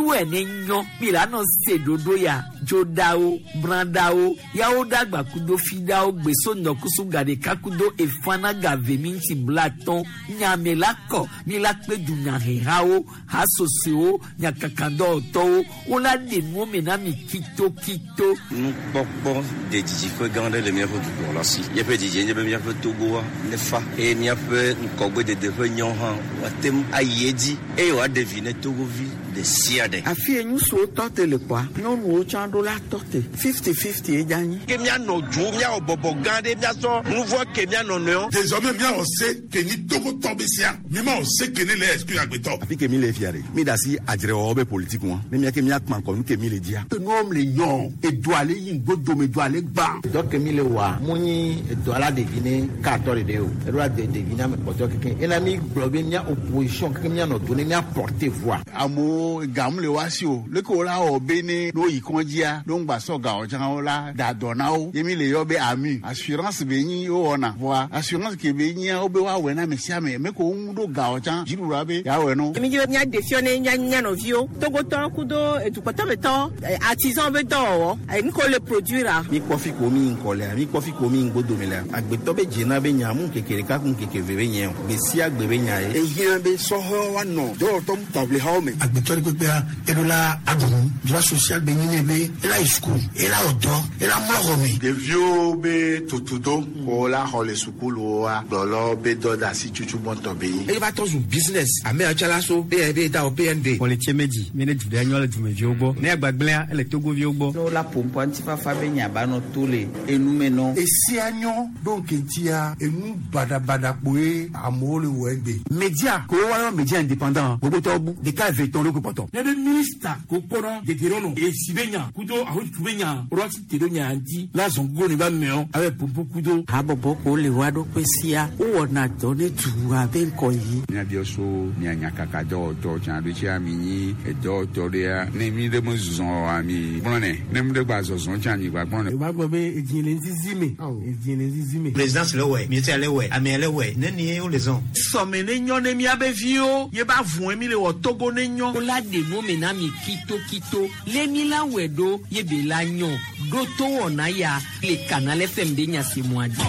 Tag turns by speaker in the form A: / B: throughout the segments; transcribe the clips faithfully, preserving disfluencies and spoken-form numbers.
A: Miwɔe ne nyɔ mi la nɔ se ɖoɖo ya dzoɖawo brãɖawo yawo ɖagba kudo fiɖawo gbeso ŋdɔkusu gaɖeka kudo efana gave minti blatɔn nyame la kɔ mi la kpe dunyahehawo hasosowo nyakakadɔwɔtɔwo wola ɖe nuwo me na mi kitokito.
B: Nukpɔkpɔ de didiƒe gã aɖe le míaƒe dukplɔla si. Míaƒe didie nye be míaƒe Togoa nefa eye míaƒe ŋgɔgbedede ƒe nyawo hã woate ŋu ayi edzi eye wòaɖe vi ne Togovi ɖe sia ɖe.
C: Afi ye ŋutsuwo tɔ te le kpɔa, nyɔnuwo tsã ɖo la tɔ te. Fifty fifty ye dza nyi.
D: Ke míanɔ dzo, míawɔ bɔbɔ gã ɖe, míasɔ nu vɔ ke míanɔ nɔewo.
E: Désormais míawɔ se ke nyi Togotɔ be sia, mímawɔ se ke ne le exclure agbetɔ.
F: Afi ke mi le fia ɖe, mi da asi adzrewɔwɔ be politique ŋua, ne mía ke míakpã ŋkɔ nu ke mi le dzia.
G: Nuwo le nyɔ, edoa le yi ŋgbodome, doa le gbã.
H: Dɔ ke mi le wɔa, mu nyi edoa la ɖevi ne katɔ ɖeɖe o, eɖo la de ɖevi na ame kpɔtɔe keke. Ena mi gblɔ be mía opposition keke míanɔ do ne mía porter voix.
I: Amewo gamu le woa si o, leke wo la wɔ be ne ne woyi kɔndzia, ne woŋgba sɔ gawo tsã wo la da dɔ na wo. Ye mi le yɔ be AMU, assurance be nyi wowɔna. Vɔa assurance ke be nyia wo be woawɔe na ame sia ame, me ko wo ŋu ɖo gawo tsã dziɖuɖua be yeawɔe no.
J: Mi dzi be míaɖe fiɔ ne mía mía nɔviwo Togotɔ kudo edukpɔtɔmetɔ artisan be dɔwɔwɔ nu ke wole produire.
K: Mi kpɔ fi ko mi ŋkɔ lea, mi kpɔ fi ko mi ŋgbodome lea, agbetɔ be dzena be nya mu ŋkeke ɖeka ku ŋkeke eve be nye o, gbe sia gbe be nya ye.
G: Ehiã be sɔhɛwo woanɔ dɔwɔtɔ taʋlihawo me.
L: Agbetɔ ɖe kpekpea eɖo la aɖu nu, droit social be nyi nɛ be ela yi sukulu, ela wɔ dɔ, ela mlɔ xɔ me.
M: Ɖeviwo be tutudo ko la xɔ le sukuluwoa, gblɔlɔ be dɔ de asi tutu gbɔntɔ be nyi.
N: Eye va tɔ zu business, ame yawo tsã la so B N B da o B N B.
O: Xɔletse medzi, mi ne du ɖe nyɔ le dumeviwo gbɔ. Ne agbagblẽa, ele Togoviwo gbɔ.
P: Ne wola ƒoƒoa ŋutifafa be nya ba nɔ to le enume nɔ.
G: Esia nyɔ ɖo ŋkeŋtia enu baɖabaɖa kpoe amewo le wɔ egbe.
F: Media ko woayɔ media indépendant gbogbotɔwo bu ɖeka eve tɔn ɖo ko kpɔtɔ.
Q: Ne be minista ko kpɔnɔ dedenɔnɔ esi be nya kudo ahotutu be nya woɖo asi te ɖo nya ŋuti la zɔn gogo ne ba mɛɔ abe ƒoƒo kudo.
C: Habɔbɔ ko le woa ɖokui sia, wowɔna dɔ ne dua be ŋkɔ yi.
I: Míabiɔ so mia nyakaka dɔwɔtɔ tsã ɖo tsia mi nyi edɔwɔtɔ ɖea ne mi ɖe me zɔ oa mi gblɔnɛ ne mi ɖe gba zɔzɔ tsã mi gba gblɔnɛ.
R: O b'a gbɔ be edzi le zizi me, edzi le zizi me.
S: Présidence le wɛ, ministère le wɛ, amea le wɛ, ne nie wo le zɔn.
D: Sɔme ne nyɔ ne míabe viwo ye ba vɔe mi le wɔ Togo ne nyɔ.
A: Wola ɖe nuwo me na mi kitokito lé mi la wɔe ɖo ye be la nyɔ ɖo to wɔna ya le Canal F M be nyasemɔa dzi.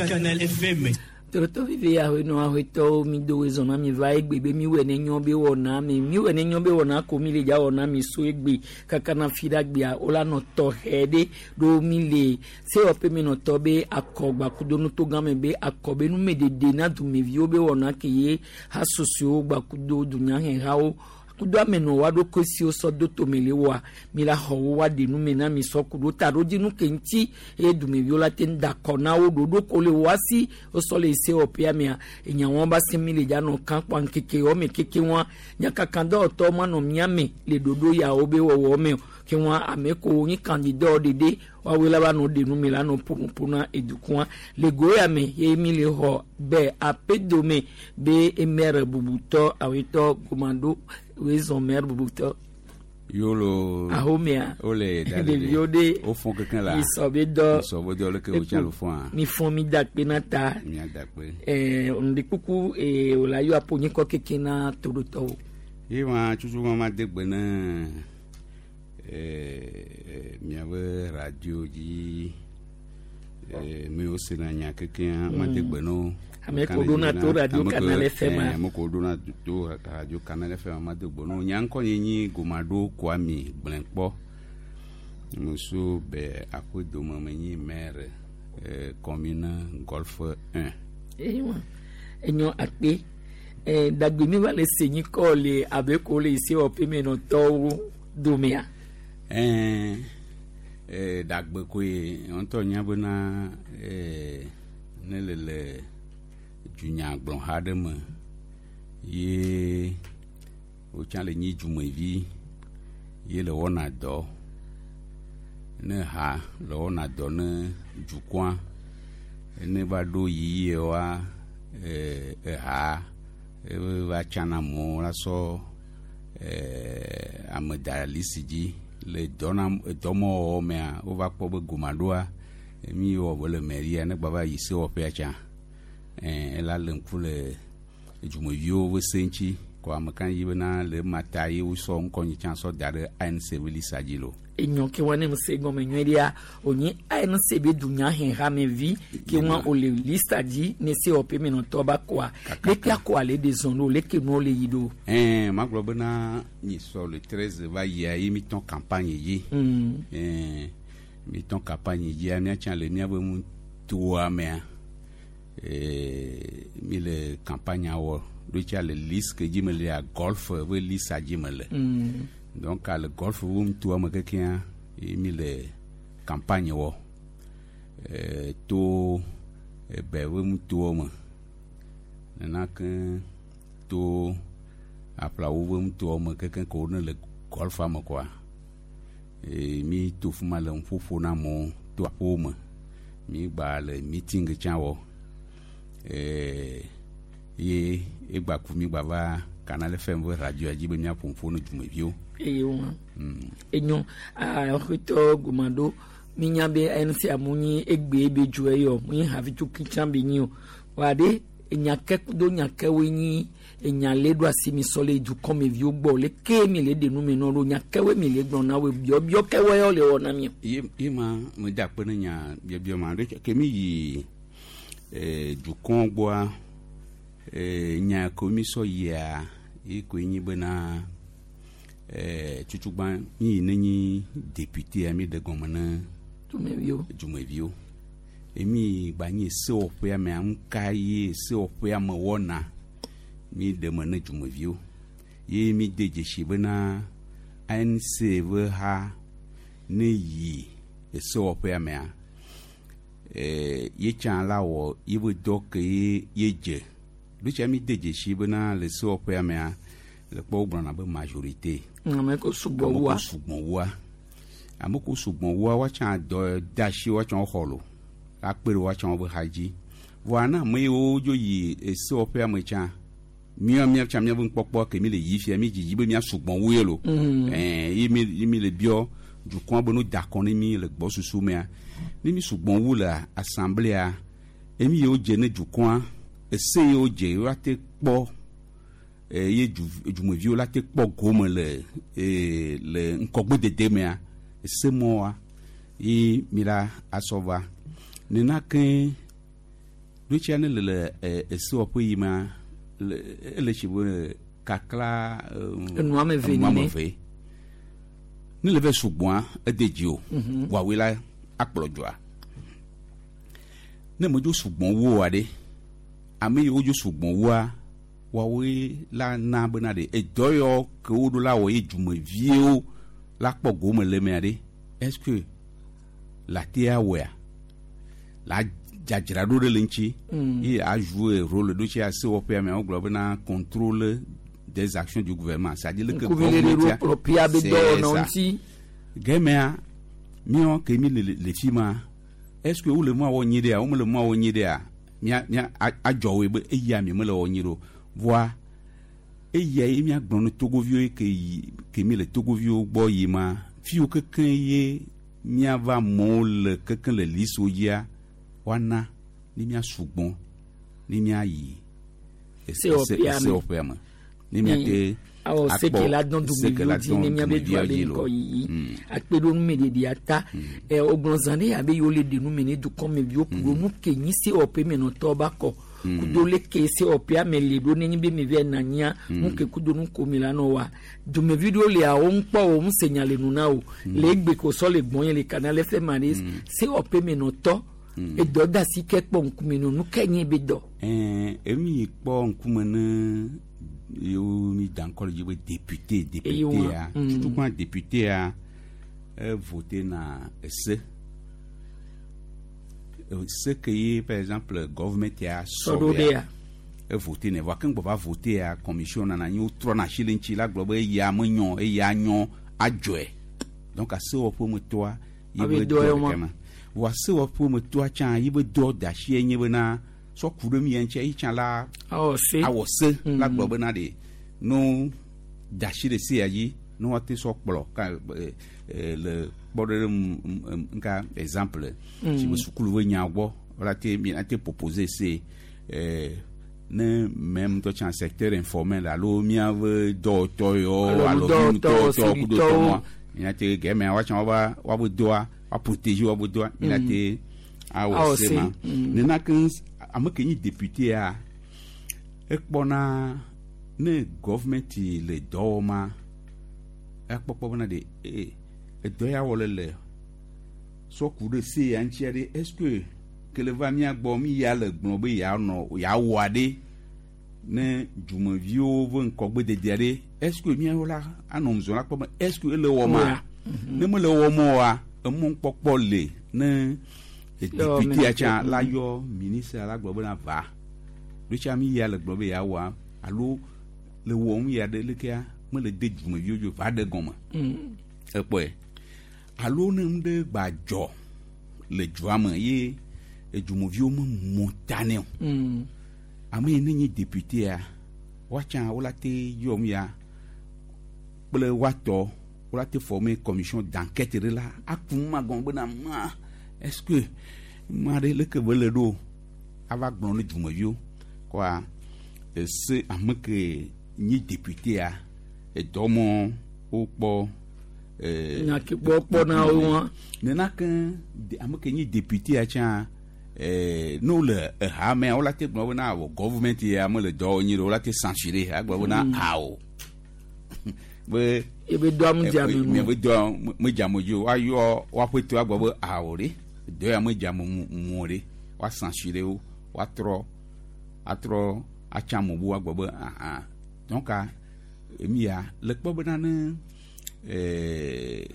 T: Canal F M.
A: Tɔrɔtɔ vivi ahenɔ ahetɔwo mi do wezɔn na mi va egbe be mi wɔ ne nyɔ be wɔna mi mi wɔ ne nyɔ be wɔna ko mi le dza wɔna mi so egbe kaka na fi ɖe agbea wola nɔ tɔxɛ ɖe ɖo mi le sewɔƒe mi nɔtɔ be akɔgba kudo nutogã me be akɔ be numeɖeɖe na dumeviwo be wɔna ke ye hasosowo gbakudo dunyahehawo kudo amenɔ wa ɖokui siwo sɔ do tome le wɔa mi la xɔ wo wa ɖe nume na mi sɔ kudo ta ɖo dzinu ke ŋuti eye dumeviwo la te ŋu da kɔ na wo ɖoɖo ko le woa si wosɔ le sewɔƒea mea enyawo ba se mi le dza nɔ kan kpɔ ŋkeke wɔme keke wɔa nyakaka dɔwɔtɔwo manɔ mía me le ɖoɖo yawo be wɔwɔ me o ke wɔa ame ko nyi candidat ɖeɖe woawoe la va nɔ ɖe nume la nɔ ƒonuƒo na edukɔa le go ya me ye mi le xɔ be aƒedome be maire bubutɔ awetɔ Gomado wezɔn maire bubutɔ.
I: Yolo.
A: Ahomea.
I: Wole da
A: ɖeviwo ɖe.
I: Wo fɔn kekeŋ la.
A: Misɔ be dɔ.
I: Misɔ be dɔ leke wotsã le fɔn.
A: Mi fɔn mi da kpe na ta.
I: Mia da kpe.
A: Ɛɛ ŋdikuku ee wòle ayɔ aƒonyikɔ keke na toɖotɔwo.
I: Ye ma tutu ma ma de gbe ne ɛɛ miaƒe radio dzi ɛɛ mi wo sena nya kekea ma de gbe no.
A: Ame ko ɖona to radio Canal F M.
I: Ame ko ɖona to radio Canal F M ma de gbe no. Nya ŋkɔ nye nyi Gomado Kwami Gblẽkpɔ. Muso be aƒedome me nyi maire ɛɛ commune Golfe un.
A: Eyiwa enyɔ akpe ɛɛ dagbe mi va le se nyikɔ le abe ko le sewɔƒe me nɔtɔwo domea.
I: Ɛɛ ɛɛ dagbe koe ŋutɔ nya bena ɛɛ ne le le dunyagblɔha ɖe me ye wotsã le nyi dumevi ye le wɔna dɔ ne ha le wɔna dɔ ne dukɔa ne va ɖo yiyia ɛɛ eha eva tsana amewo la sɔ ɛɛ ame da lisi dzi le dɔna dɔmɔwɔwɔ mea wova kpɔ be Gomaɖoa mi wɔ be le mairia ne gba va yi sewɔƒea tsã ɛɛ ela le ŋku le Dzumeviwo ƒe se ŋuti kɔ ame ka yi bena le ema ta ye wosɔ ŋkɔ nyi tsã sɔ da ɖe A N C ƒe lista dzi lo.
A: Enyo ke wa ne se gɔme nyuie ɖea wònye A N C be dunyahehamevi ke wa wòle lista dzi ne C O P menɔtɔ ba kɔa leke akɔa le de zɔn ɖo leke nuwo le yi ɖo.
I: Ɛn magblɔ bena nyi sɔ le treize va yia ye mi tɔn campagne dzi.
A: Mm.
I: Ɛn mi tɔn campagne dzia miatsã le miabe ŋutoa mea ee, mi le campagne wɔ ɖo tsa le liste ke dzi me lea Golfe ƒe lista dzi me le.
A: Mm.
I: Donc le Golfe ƒe ŋutoa me kekea ye mi le campagne wɔ ee, to ebe ƒe ŋutoa me nena ke to aƒlawo ƒe ŋutoa me keke ke wo ne le Golfea me kɔa ee, mi to fi ma le nuƒoƒo na amewo to aƒewo me mi gba le meeting tsã wɔ ee, ye egba ku mi gba va Canal F M ƒe radio dzi be míaƒo nuƒo na dumeviwo.
A: Eye wa
I: Mm.
A: enyo axɔtɔ gomado minya be A N C amu nyi egbe be dzo eyɔ mu nyi hafi tso kitsã be nyi o wa ɖe enyake kudo nyakewoe nyi enya le ɖo asi mi sɔ le dukɔmeviwo gbɔ leke mi le ɖe nu me nɔ ɖo nyakewoe mi le gblɔ na wo biɔbiɔ kewoe yɔ le wɔ na mi o.
I: ye ye ma me da akpe ne nya biɔbiɔ ma ɖo ke mi yi eh, dukɔ gbɔa eh, nya ko mi sɔ yia ye koe nyi bena eh, tutugbã mi yi ne nyi député mi ɖe gɔme ne
A: dumeviwo.
I: Dumeviwo emi gba nyi sewɔƒea mea ŋka ye sewɔƒea me wɔna mi ɖe me ne dumeviwo ye mi de dzesi bena A N C ƒe ha ne yi esewɔƒea mea eh, ye tsã la wɔ yeƒe dɔ ke ye ye dze ɖo tsa mi de dzesi bena le sewɔƒea mea le kpɔ wogblɔna be majorité.
A: Ame ko sugbɔ
I: ame
A: wua.
I: Ko sugbɔ wua ame ko sugbɔ wua woatsã dɔ de asi woatsã woxɔ lo akpe ɖe woatsã woƒe ha dzi vɔa na ame yiwo dzo yi esewɔƒea me tsã mía mía tsã míaƒe nukpɔkpɔ ke mi le yi fia mi dzidzi be mía sugbɔ wu ye lo.
A: Mhm.
I: Ɛɛ ye mi ye mi le biɔ dukɔa be no da kɔ ne mi le gbɔsusu mea ne mi sugbɔ wu le assemblée emi yiwo dze ne dukɔa ese yiwo dze woate kpɔ eh, ye du dumeviwo la te kpɔ gome le eh, le ŋkɔgbedede mea ese mɔa ye mi la asɔ va nena ke ɖotsia ne le le eh, esewɔƒe yi ma le ele tsi be kakla eh,
A: Enu ame eve
I: enu ame
A: nene.
I: eve ne le vɛ sugbɔa ede dzi o.
A: Mhm.
I: Woawoe la akplɔ dzoa ne medzo sugbɔn wo oa ɖe ame yiwo dzo sugbɔn woa woawoe la na bena ɖe edɔ yɔ ke wo ɖo la wɔ ye dumeviwo la kpɔ gome le mea ɖe est ce que la te awɔea la dzadzra ɖo ɖe le ŋuti.
A: Mm.
I: Ye a jouer rôle ɖo tsi sewɔƒea mea wogblɔ bena contrôle des actions du gouvernement, c'est à dire que
A: Ŋkuvi le ɖe ɖo kplɔƒea be
I: C'est
A: dɔwɔnawo
I: ça.
A: ŋuti.
I: Gɛmɛa míawo ke mi le le fi ma est ce que wole nua wɔ nyi ɖea womele nua wɔ nyi ɖea mía mía a- adzɔ woe be eya mi mele wɔ nyi ɖo voa eya ye míagblɔ ne togoviwo ye ke yi ke mi le togoviwo gbɔ yi ma fiwo kekeŋ ye míava amewo le kekeŋ le listewo dzia woana ne mía sugbɔ ne míayi ese- ese-
A: Sewɔƒea me.
I: sewɔƒea me ne míate
A: awɔ seke la dɔn
I: seke la
A: dumeviwo dzi
I: dɔn
A: ne míabe dua
I: dumeviwo
A: be
I: dzi lo.
A: ŋkɔ yiyi
I: Mm.
A: akpe ɖo numeɖeɖea ta ɛ wogblɔ zã ɖe abe yewo le ɖe nume ne dukɔmeviwo ku ɖo nu ke nyi sewɔƒe menɔtɔ ba kɔ kudo leke sewɔƒea me le ɖo nenye be mi vɛ na nyia nu ke kudo nu ko mi la nɔ wa dumevi ɖewo lia wo ŋkpɔ wo ŋu se nya le nu na o le egbe ko sɔ le gbɔn ye le Canal F M aɖe sewɔƒe menɔtɔ edɔ da si ke kpɔ ŋkume nɔ nu ke nye be dɔ.
I: Ɛɛ emi kpɔ ŋkume ne yewo mi da ŋkɔ le dzi be député
A: Eye
I: député
A: wa,
I: ya
A: mm.
I: tutugbã député ya e voté na ese ese ke ye par exemple government ya
A: Sɔ ɖo ɖea.
I: E voté nɛ vɔa ke ŋgbɔ va voté ya commission nana anyi wotrɔna asi le ŋuti la gblɔ be eya menyɔ eya nyɔ adzɔe donc asewɔƒe me tɔa ye
A: Abe
I: be
A: dɔ
I: dɔ
A: ye ma.
I: ɖeka ma vɔa sewɔƒe me tɔa tsã ye be dɔ da asi ye nye bena sɔ ku ɖe mia ŋuti eyi tsã la
A: awɔ se
I: awɔ se la gblɔ bena ɖe no da asi ɖe se ya dzi ne woate sɔ kplɔ ka e, e, le kpɔɖeŋu nka exemple
A: Mm.
I: si be sukulu be nya gbɔ wala te mi ate proposer se e, Ne même ŋutɔ tsã secteur informel alo míaƒe dɔwɔtɔ yewo
A: Alo nudɔwɔtɔwo,
I: nutɔwɔtɔ kudo
A: sivitɔwo.
I: tɔmɔa míate gɛmɛ woatsã woaba woabe dɔa woa protéger woabe dɔa míate awɔ
A: Awɔ
I: se
A: se.
I: ma.
A: Mm.
I: Nena ke ame ke nyi député-a ekpɔna ne government le dɔ wɔma ekpɔkpɔ bena de ee edɔ ya wɔ le le sɔ ku ɖe se ya ŋutia ɖe est ce que kele va mía gbɔ mi ya le gblɔ be yeanɔ yeawɔa ɖe ne dumeviwo ƒe ŋkɔgbededea ɖe est ce que míawo la anɔ ŋzɔ la kpɔ be est ce que ele wɔma
A: Wɔa.
I: ne mele wɔm oa emɔkpɔkpɔ le ne député tsã la yɔ ministre la gblɔ bena va ɖo tsa mi ya le gblɔ be yeawɔa alo le wɔm ya ɖe lekea mele de dumeviwo dzo va ɖe gɔme
A: Mm.
I: ekpɔe alo ne nu ɖe gba dzɔ le dua me ye edumeviwo me mɔ ta nɛ o
A: Mm.
I: ame yi ne nye député-a woatsã wola te yɔm ya kple woatɔ wola te former commission d'enquête ɖe la aku ma gɔme bena ma est ce que ma ɖe leke be le ɖo ava gblɔ ne dumeviwo kɔa ese ame ke nye député-a edɔ mɔ wokpɔ eh,
A: Nya ke kpɔ kpɔ na wo wa.
I: nena ke de- ame ke nye député-a tsã eh, ne wole eha mea wola te gblɔ bena wɔ government ya mele dɔ wɔ nyi ɖe wola te censurer agblɔ bena
A: Mm.
I: awo be
A: Ebe dɔa mu dze ame ŋu.
I: miabe dɔa me- medze ame dzi o woayɔ woaƒe to agblɔ be awo ɖe dɔ ya medze ame ŋu ŋu o ɖe woa censurer wo woatrɔ atrɔ atsa ame bu agblɔ be aha donc emi ya le kpɔ bena ne eh,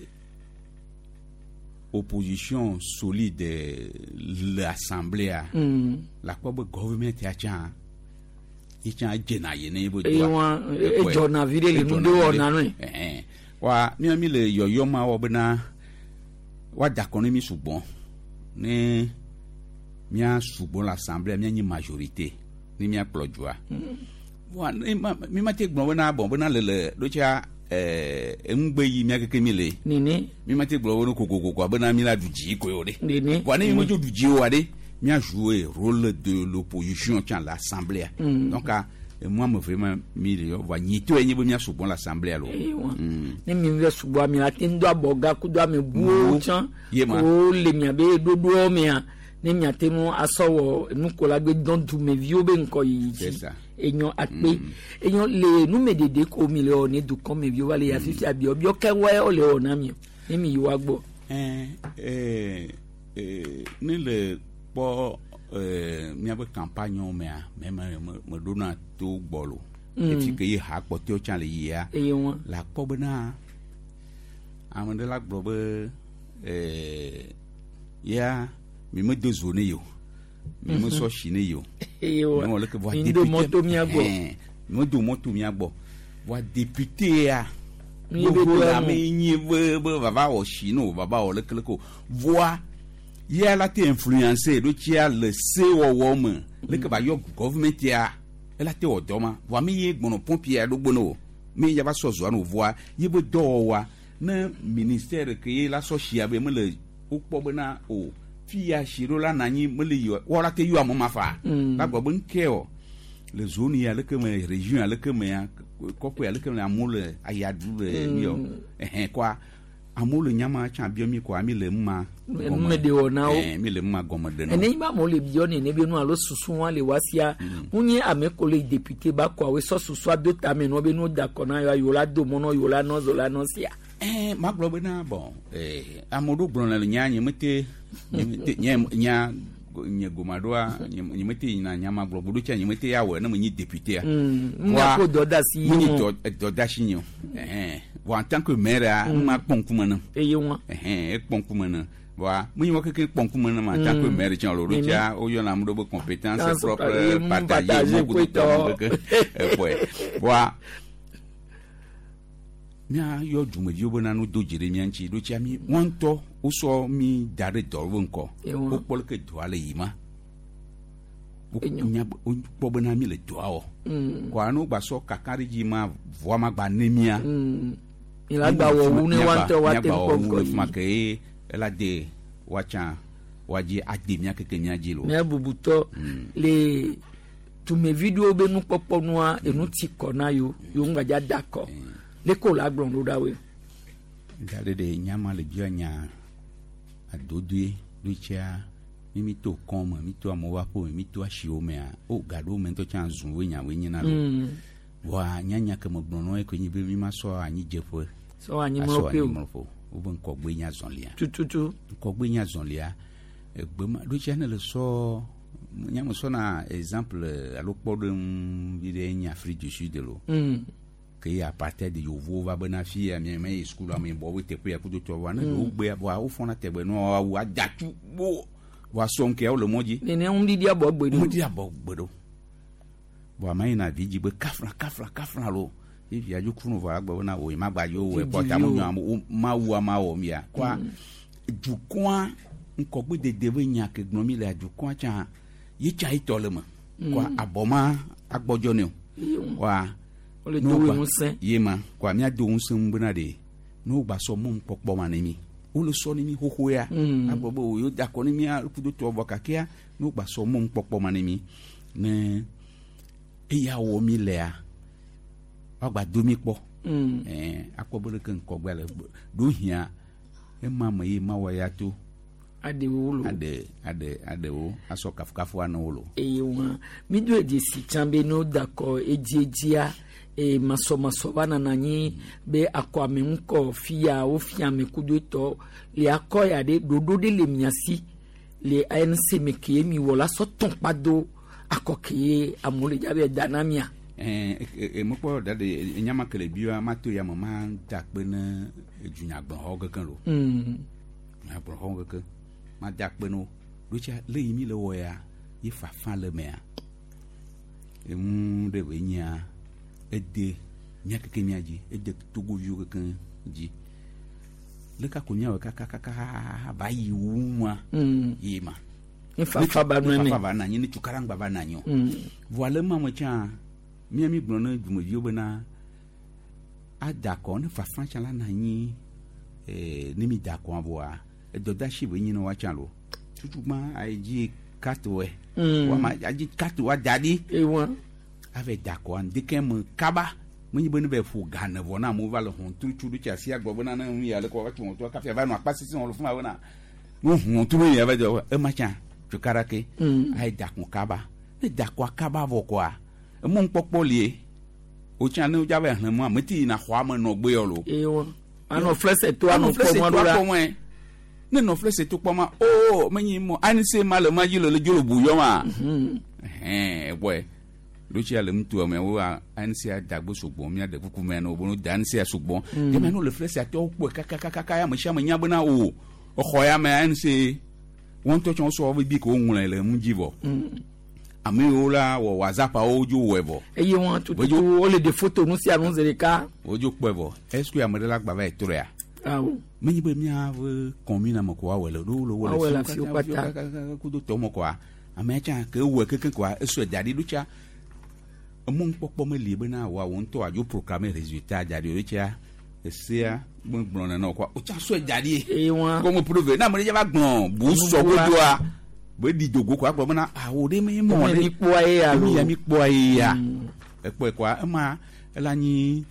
I: opposition solide le assemblée-a
A: Mm.
I: la kpɔ be government ya tsã ye tsã dzena ye ne ye be
A: Eye
I: dɔa.
A: wa
I: Ekpɔe.
A: edzɔna vi ɖe le nu
I: Edzɔna
A: ɖe
I: vi
A: wɔna
I: ɖe.
A: nɔe.
I: Ɛhɛn. Wa mía mi le yɔyɔ ma wɔ bena woada akɔ ne mi sugbɔ ne mía sugbɔ le assemblée mía nyi majorité ne mía kplɔ dzoa. Wa ne ma mi ma te gblɔ bena bɔn bena le le ɖo tsia ɛɛ eŋugbe yi mía keke mi le.
A: Nene.
I: Mi ma te gblɔ bena kokokoko bena mi la du dzi koe o ɖe.
A: Nene.
I: Wa ne mi me dzo du dzi oa ɖe mía jouer rôle de l'opposition tsã le assemblée.
A: Mm.
I: Donc emu ame eve ma mi le yɔ va nyitɔe nye be mía sugbɔ le assemblée lo.
A: Eye wa.
I: Mm.
A: Ne mi vɛ sugbɔ ame la te ŋu do abɔga kudo ame buwo tsã
I: Ye ma.
A: ko le miabe ɖoɖoɔ mea ne miate ŋu asɔ wɔ nukola gbe dɔn dumeviwo be ŋkɔyiyi
I: C'est
A: dzi
I: ça.
A: enyɔ akpe enyɔ le numeɖeɖe ko mi le wɔ ne dukɔmeviwo va le ya fifia biɔbiɔ kɛwɛ wo le wɔ na mi o ne mi yi wa gbɔ.
I: Ɛɛ ɛɛ ɛɛ ne le kpɔ ɛɛ míaƒe campagne mea mɛ me me meɖona to gbɔ lo.
A: Mm.
I: Efi ke ye ha kpɔtɔewo tsã le yia.
A: Eye wa.
I: Le akpɔ bena ame ɖe la gblɔ be ɛɛ ya mi medo zo ne yi o mi me sɔ si ne yi o.
A: Eye wa
I: Mi wɔ leke voa
A: mi do
I: député-
A: mɔto mia gbɔ.
I: Ɛhɛn, mi medo mɔto mia gbɔ voa député ya.
A: Mi be
I: Gbogbo
A: do
I: la
A: emu.
I: me nyi be be vava wɔ si ne o vava wɔ lekeleke o voa ya la te influencer ɖo tsia le sewɔwɔ me leke ba yɔ government ya ela te wɔ dɔ ma voa mi ye gbɔnɔ pɔmpi ya ɖo gbɔnɔ o mi ya va sɔ zɔa no voa ye be dɔwɔwɔa ne ministère ke ye la sɔ sia be mele wokpɔ bena o fi ya si ɖo la na anyi mele yi o wɔ la te yɔ ame ma fa
A: Mm.
I: la gblɔ be ŋkɛ o le zone ya leke me région ya leke me ya kɔƒe ya leke me amewo le ayaɖu le
A: Mm.
I: mi o ɛhɛn kɔa amewo le nyama tsã biɔ mi kɔa mi le numa
A: Enume ɖe wɔ na wo.
I: ɛɛ mi le numa gɔme ɖe na wo.
A: ene yi ba amewo le biɔ nene be nu alo susu wa le wa sia ŋu nye ame ko le député ba kɔ awo sɔ susua do tame nɔ be nu da kɔ na yɔ yewo la do mɔ nɔ yewo la nɔ zo la nɔ sia.
I: ɛɛ ma gblɔ bena bɔn ɛɛ ame ɖewo gblɔna le nya nye mete nye mete nye nya nye goma ɖoa nye nye mete yina nya ma gblɔ ɖo tsia nye mete ya wɔe ne me nyi député
A: Mm, ŋu ko dɔdeasi
I: mu nyi
A: ye
I: dɔ dɔdeasi nye o ɛhɛn bon en tant que maire a
A: Mm.
I: ma kpɔ ŋkume ne
A: eye wa.
I: ɛhɛn ekpɔ ŋkume ne voa mu nyi wɔ keke kpɔ ŋkume ne ma en tant que
A: Mm.
I: maire tsã lo ɖo
A: Nene.
I: tsia woyɔna ame ɖewo be compétence
A: Compétence
I: propre
A: propre, mu
I: partager
A: partager
I: mu kudo
A: koetɔ.
I: tɔ keke ekpɔe voa míayɔ dumeviwo bena no do dzi ɖe mía ŋuti ɖo tsia mi wɔn ŋutɔ wosɔ mi da ɖe dɔ be ŋkɔ
A: Ewa.
I: wokpɔ leke dɔa le yi ma wonya wokpɔ bena mi le dɔa wɔ
A: Mm.
I: kɔa ne wogba sɔ kaka ɖe dzi ma vɔa ma gba ne mía
A: Mm. Mi la gba wɔ wu ne wa ŋutɔ wa te
I: míagba
A: kpɔ
I: wɔ wu
A: ŋkɔ
I: le
A: yi.
I: fi ma ke ye ela de woatsã woadzi ade mía keke mía dzi lo
A: Mía bubutɔ le Dumevi ɖewo be nukpɔkpɔ nua enu ti kɔ na yewo yewo ŋgbadza da akɔ leke wòle agblɔ ɖo ɖa woe.
I: Ga ɖe ɖe nyama le bia nya adodoe ɖo tsia mi mi to kɔn me mi to amewo aƒe me mi to asiwo mea o ga ɖewo me ŋutɔ tsã zu woe nya woe nyina lo
A: Mm.
I: voa nyanya ke me gblɔ nɔ ye koe nyi be mi ma sɔ anyidzeƒe
A: Sɔ anyimlɔƒe
I: asɔ
A: o.
I: anyimlɔƒe o wobe ŋkɔgbe nya zɔlia
A: tututu
I: ŋkɔgbe nya zɔlia egbe ma ɖo tsia ne le sɔ nyame sɔna exemple alo kpɔɖeŋu vi ɖe nye Afrique du Sud lo
A: Mm.
I: ke ye apartheid yovowo va bena fi ya mi me yi sukulu ame bɔ wo teƒe ya kudo tɔ voa ne
A: Mm.
I: ɖewo gbea voa wofɔna tɛgbɛ nɔ awu adatsu bo voa sɔm ke wo le mɔ dzi
A: nene ŋuɖiɖi abɔ gbe ɖo
I: ŋuɖiɖi abɔ gbe ɖo voa ma yina vi dzi be kafla kafla kafla lo ye via dzo kunu voa agbe bena o ye ma gba dzo wɔ
A: Didi
I: kɔ ta mo
A: o.
I: nyɔ ame wo mawu ama wɔ mia kɔa dukɔa ŋkɔgbe dede be nya ke gblɔm mi lea dukɔa tsã ye tsa ye tɔ le me kɔa
A: Mm.
I: abɔ ma agbɔdzɔ ne o kɔa
A: Wole
I: ne
A: do
I: wogba-
A: ŋusẽ.
I: ye ma kɔa míado ŋusẽ ŋu bena ɖe ne wogba sɔ mɔnu kpɔkpɔ ma ne mi wole sɔ ne mi xoxo ya
A: Mm.
I: agblɔ be o yewo da akɔ ne mía kudo tɔ vɔ kakea ne wogba sɔ mɔnu kpɔkpɔ ma ne mi ne eya wɔ mi lea woagba do mi kpɔ
A: Mm.
I: ɛɛ akpɔ be ɖeke ŋkɔgbea le ɖo hiã ema me ye mawɔ ya to
A: aɖewo lo
I: aɖe aɖe aɖewo asɔ kafukafu ana wo lo
A: eye wa mi do edzesi tsã be ne woda akɔ edziedzia e masɔmasɔ va nana anyi be akɔ ame ŋkɔ fia wofia ame kudo etɔ le akɔ ya ɖe ɖoɖo ɖe le mia si le ANC me ke mi wɔ la sɔ tɔn kpa do akɔ ke amewo le dzabe da na mia.
I: ɛɛ mekpɔ da de nyama ke le bia ma to ya me ma da akpe ne dunyagblɔxɔ keke lo
A: Mm.
I: dunyagblɔxɔ keke ma da akpe ne wo ɖo tsia le yi mi le wɔ ya ye fafa le mea enu ɖe be nyia ede mía keke mía dzi ede togoviwo keke dzi leka ko míawɔ kakakaka va yi wu ma
A: Mm.
I: yi ma
A: Ne fafa ba nɔ
I: ne
A: eme.
I: fafa ba na anyi ne tukarangba ba na anyi o
A: Mm.
I: voa le ma me tsã mía mi gblɔ ne dumeviwo bena ada akɔ ne fafa tsã la na anyi ee ne mi da akɔa voa edɔdasi be nyi ne woatsã lo tutugba ayi dzi carte wɛ
A: Mm.
I: wama adzi carte wa da ɖi
A: ewa
I: ave da akɔa ŋdekɛ me kaba menye be ne va ƒo ga ne vɔ na amewo va le hɔntru tsu ɖo tsi asi agblɔ bena ne nu ya le kɔ va tso hɔntrua kafi ava nɔ akpa sisi wɔ le fún ma bena ne hɔntru ya va dzɔ ema tsã tukara ke
A: Mm.
I: ayi da akɔ kaba ne da akɔa kaba vɔ kɔa emɔ ŋkpɔkpɔ lie o tsã ne wodza va xlẽ mɔa meti yina xɔa me nɔ gbe yɔ lo
A: ewa anɔ flɛsɛ to anɔ
I: flɛsɛ
A: kpɔ mɔ
I: to
A: ɖo la
I: akpɔ mɔe ne nɔ flɛsɛ to kpɔ ma o menyi mɔ anise ma le ma dzi le le dzo le bu yɔ ma ɛhɛn ɛbɔɛ lotsi le ŋutua me wo anisia dagbe sugbɔ mía ɖe kuku mea ne wo no da anisia sugbɔ
A: Mm.
I: jɛmɛ no le flɛsɛ atɔ kpɔe kakakaka ya me sia me nya bena o exɔ ya me anise wɔn ŋutɔ tsɛ wosɔ woƒe bi ko woŋlɔe le ŋu dzi vɔ
A: Mm.
I: ame yiwo la wɔ whatsapp-awo dzo wɔe vɔ
A: eye wa tututu wole ɖe foto nu sia nu zi ɖeka
I: wodzo kpɔe vɔ est ce que ame ɖe la gba va yi trɔea
A: awo
I: menye be míaƒe kɔmina me ko woawɔe le ɖo le
A: Woawɔe le
I: wo
A: afiwo kpata.
I: kudo tɔ me koa amea tsã ke ewɔe kekeŋ koa esɔe da ɖi ɖo tsa emɔ ŋkpɔkpɔ meli bena woawo ŋutɔ adzo proclamer résultat da ɖi o ɖo tsa esea megblɔ nene o koa o tsã sɔe da ɖi
A: eye wa
I: kɔmi prouve ne ame ɖe dza va gblɔ bu sɔ godoa be ɖi dogo koa gblɔ bena awo ɖe me mɔ
A: Eme
I: ɖe
A: mi kpɔa ye ya
I: emi
A: lo.
I: ya mi kpɔa ye ya ekpɔe koa ema ela nyi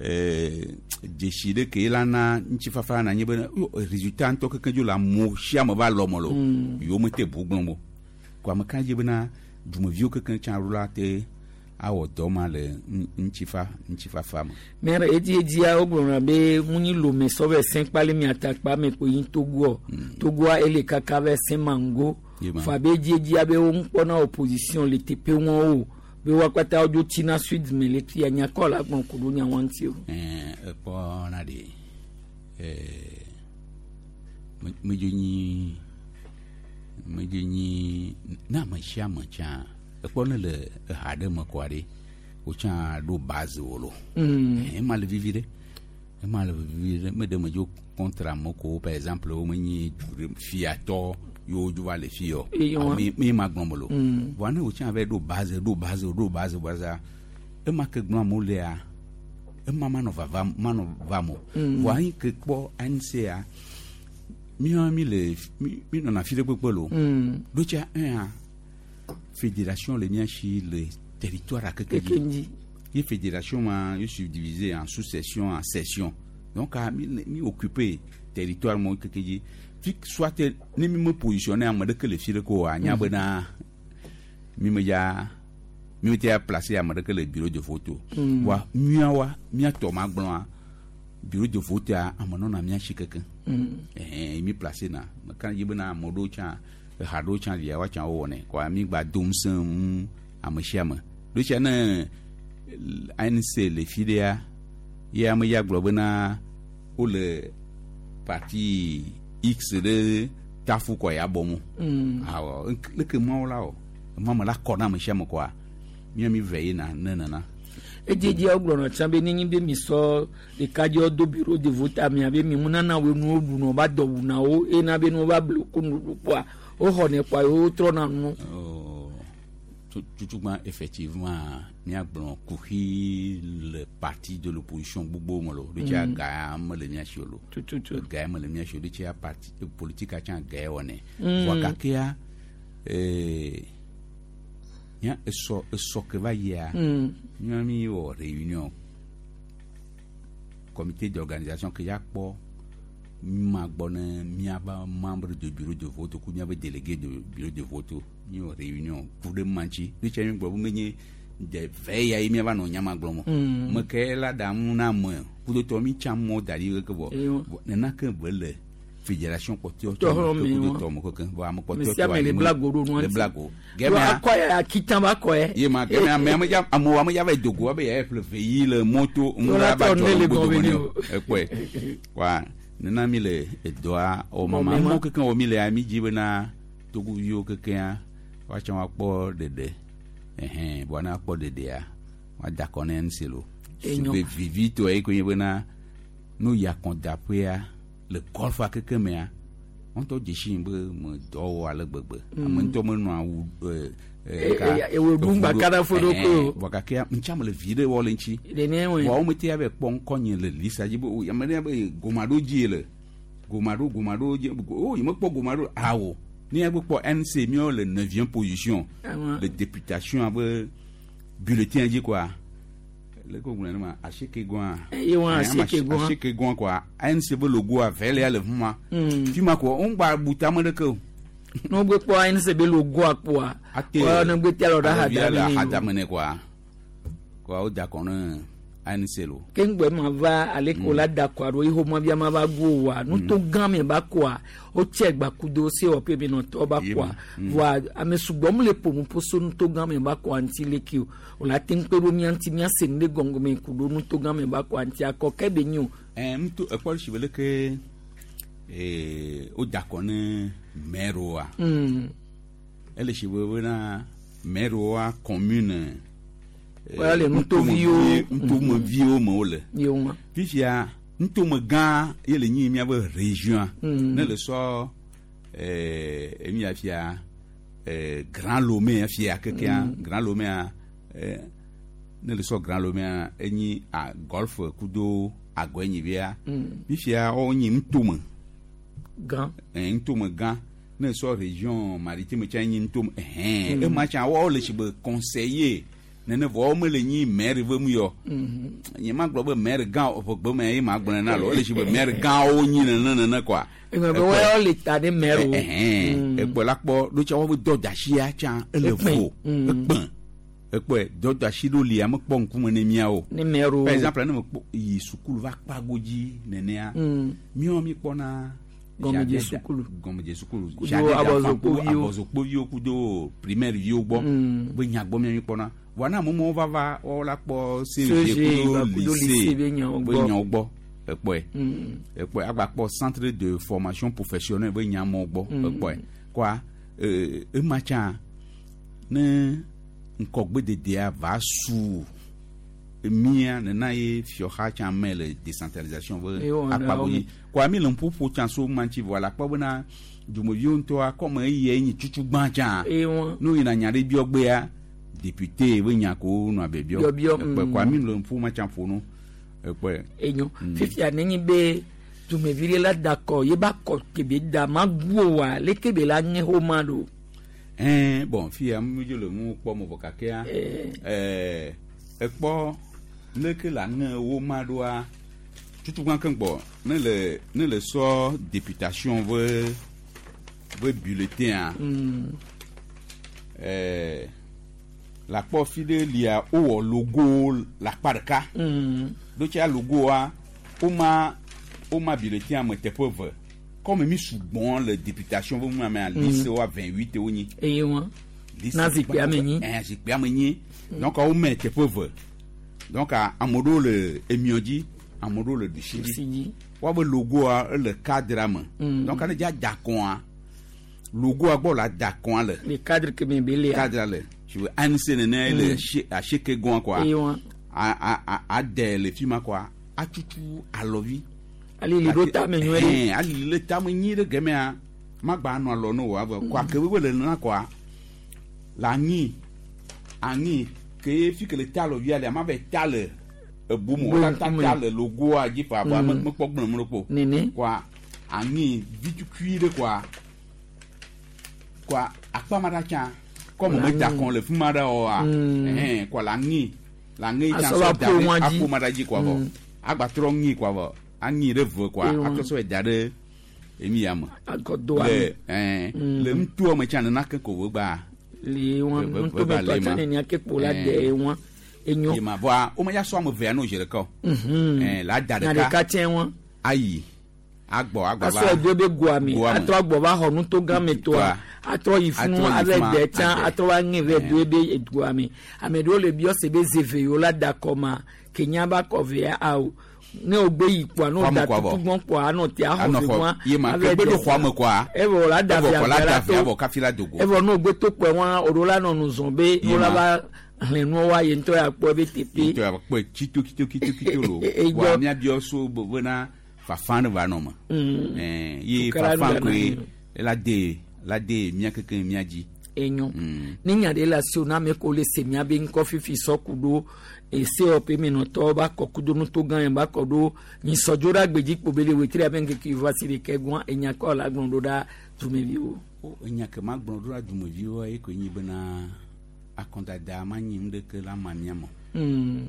I: ɛɛ dzesi ɖe ke la na ŋutifafa na nyi be yo résultat ŋutɔ keke dzo le amewo sia ame va lɔ me lo
A: Mm.
I: yewo mete bu gblɔm o ko ame ka dzi bena dumeviwo keke tsã ɖo la te awɔ dɔ ma le ŋ- ŋutifa ŋutifafa me.
A: mɛrɛ edi edzia wogblɔna be ŋunyi lome sɔ vɛ sɛn kpali miatakpa me ko yi togoɔ togoa ele kaka vɛ sɛn mango
I: Ye ma.
A: fa be edi edzia be wo ŋkpɔna opposition le teƒe wɔn o be wa kpata wodzo tina sud me le tia nyakɔ la gbɔn ko ɖo nya wɔn ŋuti o.
I: Ɛɛ ekpɔ na de ɛɛ me- medzo nyi medzo nyi ne ame sia ame tsã ekpɔ ne le eha ɖe me kɔa ɖe wotsã ɖo base wo lo.
A: Mm.
I: Ɛɛ, ema le vivi ɖe ema le vivi ɖe me ɖe medzo contre ame ko par exemple wo menyi du ɖe fiatɔ yewo dzo va le fi yɔ
A: Eye wa.
I: mi mi ma gblɔm lo
A: Mm.
I: voa ne wotsã va ɖo base ɖo base ɖo base base ema ke gblɔm amewo lea ema manɔ vava manɔ vam o
A: Mm.
I: voa anyi ke kpɔ ANCA míawo mi le mi mi nɔna fi ɖe kpekpe lo
A: Mm.
I: ɖo tsa ɛa Fédération le mia si le territoire akeke
A: dzi.
I: Ye fédération ma ye subdivisé en sous-section, en section. Donc a mi mi occupé territoire mo keke dzi. Fi soit ne mi me positionné ame ɖeke le fi ɖe ko anya bena mi me ya mi me te placé ame ɖeke le bureau de vote. Wa miawa miatɔ ma gblɔa bureau de vote a ame nɔna mia si keke. Ɛhɛn mi placé na meka yi bena ame ɖewo tsã eha ɖewo tsã lia woatsã wowɔnɛ kɔa mi gba dom sẽ ŋu ame sia ame. Ɖo tsia ne A N C le fi ɖea ye ame ya gblɔ bena wole parti X ɖe tafu kɔ ya bɔ mo. Awɔ leke mawo la o mama la kɔ na ame sia ame kɔa mía mi ve yina ne nana.
A: Edzedze gblɔna tsã be nenye be mi sɔ ɖekadzewo do bureau de vote amea be mi ŋunana wo nuwo ɖuna va dɔ wuna wo ena be nuwo va blu ko nuɖuɖu kpɔa woxɔnɛ kpɔa wotrɔna nu.
I: Tutugbã effectivement míagblɔ kuxi le parti de l'opposition gbogbo me lo ɖo tsia ga mele mía si o lo ga mele mía si o ɖo tsia parti politique tsã ga wɔnɛ vɔ gakea nya esɔ esɔ ke va yia mía mi wɔ réunion comité d'organisation ke ya kpɔ ma gbɔ ne míaba membre de bureau de vote ku míabe délégué de bureau de vote mi wɔ réunion ku ɖe ma ŋuti ɖo tsia mi gblɔ be menye de ve ya ye míava nɔ nyama gblɔm o me ke la ɖaŋu na ame kudotɔ mi tsã mɔ da ɖi keke vɔ nena ke be le fédération kpɔtɔe tɔ me kudotɔ me keke vɔ ame kpɔtɔe tɔ
A: le blago ɖo nua
I: le blago
A: gɛmɛ akɔ ya kitan ba kɔ yɛ
I: ye ma gɛmɛ ame ame dza amewo ame dza va yi dogo abe ya ƒle ve yi le moto ŋu ba dzɔ gbogbo ne o ekpɔe wa nena mi le edɔa o mama mɔ keke wɔ mi le mi dzi bena togoviwo kekea woatsã woakpɔ ɖeɖe ɛhɛn bɔn ne akpɔ ɖeɖea woada kɔ ne ŋuti lo sube vivitɔe yi ko nye bena nu yi akɔdaƒea le golfa keke mea ŋutɔ dzesi be me dɔ wɔ ale gbegbe ame ŋutɔ menɔ awu
A: ewe ɖu kana fo ɖo ko
I: bɔn gake ŋutsa me le vi ɖe wɔ le ŋuti bɔn wo mete ya be kpɔ ŋkɔnye le lisa dzi be ame ɖe be goma ɖo dzi le goma ɖo goma ɖo dzi o yi me kpɔ goma ɖo awo ne ya be kpɔ N C miawo le neuvième position le députation abe bulletin dzi quoi le ko gblɔ ne ma aseke gɔa aseke gɔa quoi A N C be logoa vɛ ya le fi ma fi ma ko wo ŋgba bu tame ɖeke o.
A: Ne wogbe kpɔ A N C be logoa kpɔa wa ne gbe tia lɔ ɖe
I: hadame hadame ne quoi quoi wo da kɔ ne A N C lo.
A: Ke ŋgbɛ ma va ale ko la da kɔa ɖo iho ma bia ma va go wa nuto gã me ba kɔa o tse gbakudo se wɔ pe benɔtɔ ba kɔa voa ame sugbɔ mu le ƒonuƒo so nuto gã me ba kɔa ŋuti leke o o la te ŋu kpe ɖo mía ŋuti mía se nu ɖe gɔngɔme ku ɖo nuto gã me ba kɔa ŋuti akɔ ke be nyo.
I: Ɛɛ nuto ekpɔ si be leke ee o da kɔ ne maire wa. Ele si be bena maire wa commune.
A: Wala le nutoviwo
I: nutomeviwo me wole fifia nutome gã ye le nyi miabe région ne le sɔ ɛɛ emi afia ɛɛ Grand Lomé afia kekea Grand Lomé ɛɛ ne le sɔ Grand Lomé enyi a golf kudo agɔenyivia fifia wo nyi nutome
A: gã
I: ɛɛ nutome gã ne sɔ région maritime tsa nyi nutome ɛhɛn ema tsa wo le si be conseiller nene vɔ me le nyi maire ve mu yɔ nye ma gblɔ be maire gã ƒe gbe me ye ma gblɔ na lo ele si be maire gãwo nyi nene nene quoi.
A: Eme be wɔyɔ le ta ne maire o.
I: Ekpɔ la kpɔ ɖo tsa wobe dɔdeasia tsã ele vo ekpẽ ekpɔe dɔdeasi ɖo lia mekpɔ ŋkume ne miawo.
A: Ne maire o.
I: Par exemple ne me kpɔ yi sukulu va kpago dzi nenea miawo mi kpɔna.
A: Gɔmedze sukulu
I: gɔmedze sukulu
A: kudo abɔzokpoviwo
I: abɔzokpoviwo kudo primaire viwo gbɔ be nyagbɔ mia mi kpɔna wana amewo vava wɔwɔ la kpɔ C G kudo lycée be nyawo gbɔ ekpɔe ekpɔe agba kpɔ centre de formation professionnelle be nyamewo gbɔ ekpɔe kɔa ema tsã ne ŋkɔgbededea va su mia nena ye fiɔxa tsã me le décentralisation be akpago dzi kɔa mi le ŋuƒoƒo tsã so ma ŋuti vɔ la kpɔ bena dumeviwo ŋutɔa kɔme eye nyi tutu gbã tsã nu yina nya ɖe biɔ gbea député be nya ko nɔ abe biɔ ekpɛ kɔa mi le ŋuƒo ma tsã ƒo nu ekpɛ.
A: Enyo fifia nenyi be dumevi ɖe la da kɔ ye ba kɔ kebe da ma gu o wa leke be la ŋe xɔ ma ɖo.
I: Ɛn bon fia mi dzo le ŋu kpɔ mo vɔ kakea ɛɛ ekpɔ leke la ŋe wo ma ɖoa tutugbã ke gbɔ ne le ne le sɔ députation ve ve bulletin
A: Mm.
I: ɛɛ la kpɔ fi ɖe lia wowɔ logo le akpa ɖeka
A: Mm.
I: ɖo tsia logoa woma woma bulletin me teƒe eve comme mi sugbɔn le députation ve mu amea liste wa vingt huit wonyi
A: eye wa na zikpuia me nyi
I: ɛn zikpuia me nyi donc wome teƒe eve donc ame ɖewo le emiɔ dzi ame ɖewo le ɖusi dzi woabe logoa ele cadre me
A: Mm.
I: donc ne dza da kɔa logoa gbɔ la da kɔa le
A: le cadre ke me be lea
I: cadre le si ve ANC nene le
A: Mm.
I: sie- asieke gɔa kɔa
A: Eye wa.
I: a a a ade le fi ma kɔa atutu alɔvi
A: Alili ɖo tame nyuie ɖe.
I: Ɛn, alili ɖe tame nyuie ɖe gemea magba nɔ alɔ ne o avɔ kɔa ke be le nana kɔa le anyi anyi ke fi ke le ta alɔvia lea ma va ta le ebu me o la ta ta le logoa dzi fa vɔa
A: Mm.
I: me mekpɔ gblẽ mu ɖe kpo
A: Nene.
I: kɔa anyi vitukui ɖe kɔa kɔa akpa ma ɖa tsã kɔmu me da kɔn le fi ma ɖe oa
A: Mm.
I: ɛhɛn kɔa le anyi le anyi tsã
A: Asɔ va
I: sɔ da
A: ƒo
I: ɖe
A: ŋua dzi.
I: aƒo ma ɖa dzi kɔa vɔ
A: Mm.
I: agbatrɔ ŋi kɔa vɔ anyi ɖe ve kɔa
A: Ewa.
I: atrɔ sɔ da ɖe emi ya me
A: Akɔdoa
I: le
A: me.
I: ɛn
A: Mm.
I: le ŋutoa me tsã nana ke ko ve gba
A: le wa
I: Ve- ve-
A: ŋutɔ
I: ve-
A: me tɔ
I: le
A: tsã
I: ma.
A: nenia ke kpo la
I: Ɛn.
A: de wa enyo
I: ye ma vɔa wo me ya sɔ ame evea no zi ɖeka o
A: Mhm.
I: ɛn la da
A: na ɖeka
I: ɖeka
A: tsɛ wa
I: ayi agbɔ agbɔ
A: asɔ edo be goa me
I: Goa me.
A: atrɔ agbɔ va xɔ nuto gã me tɔa atrɔ yi funu
I: Atrɔ yi
A: ave
I: fuma,
A: de tsã
I: ade.
A: atrɔ va ŋe vɛ do ebe goa me ame ɖewo le biɔ se be zeve yiwo la da kɔ ma kenya ba kɔ vea awo ne o gbe yi kpoa ne o
I: Xɔa me
A: da
I: kɔa vɔ.
A: tutugbɔn kpoa anɔ te axɔ
I: Anɔ
A: ve
I: xɔ-
A: wa
I: ye ma ke gbe ɖo xɔa me kɔa
A: evɔ la da
I: evɔ
A: via
I: kɔ la
A: via
I: da
A: la
I: via
A: to
I: vɔ kafi la dogo
A: evɔ ne o gbe to kpoa wa o ɖo la nɔ nu zɔn be
I: Ye
A: o la
I: ma.
A: va hlẽ nuwo wa ye ŋutɔ ya kpɔ ebe teƒe
I: ŋutɔ ya kpɔe tsito tsito tsito tsito lo
A: E- e-
I: vɔa
A: gbɔ.
I: míabiɔ so be bena fafa ne va nɔ me
A: Mm.
I: ɛn ye
A: Tukara
I: fafa
A: nu
I: koe
A: gana
I: la de la de mía keke mía dzi
A: enyo
I: Mm.
A: ne nya ɖe le asiwò na ame ko le se mía be ŋkɔ fifi sɔku ɖo esewɔƒe menɔtɔwo ba kɔ kudo nuto gã yẹn ba kɔ ɖo nyisɔdzo ɖe agbedzi kpo be le wetri abe ŋkeke va si ɖeke gɔn enya kɔ la gblɔ ɖo ɖa dumeviwo.
I: O, enya ke ma gblɔ ɖo ɖa dumeviwoa ye koe nyi bena akɔdada ma nyi nu ɖeke la ma mía me o.
A: Mm.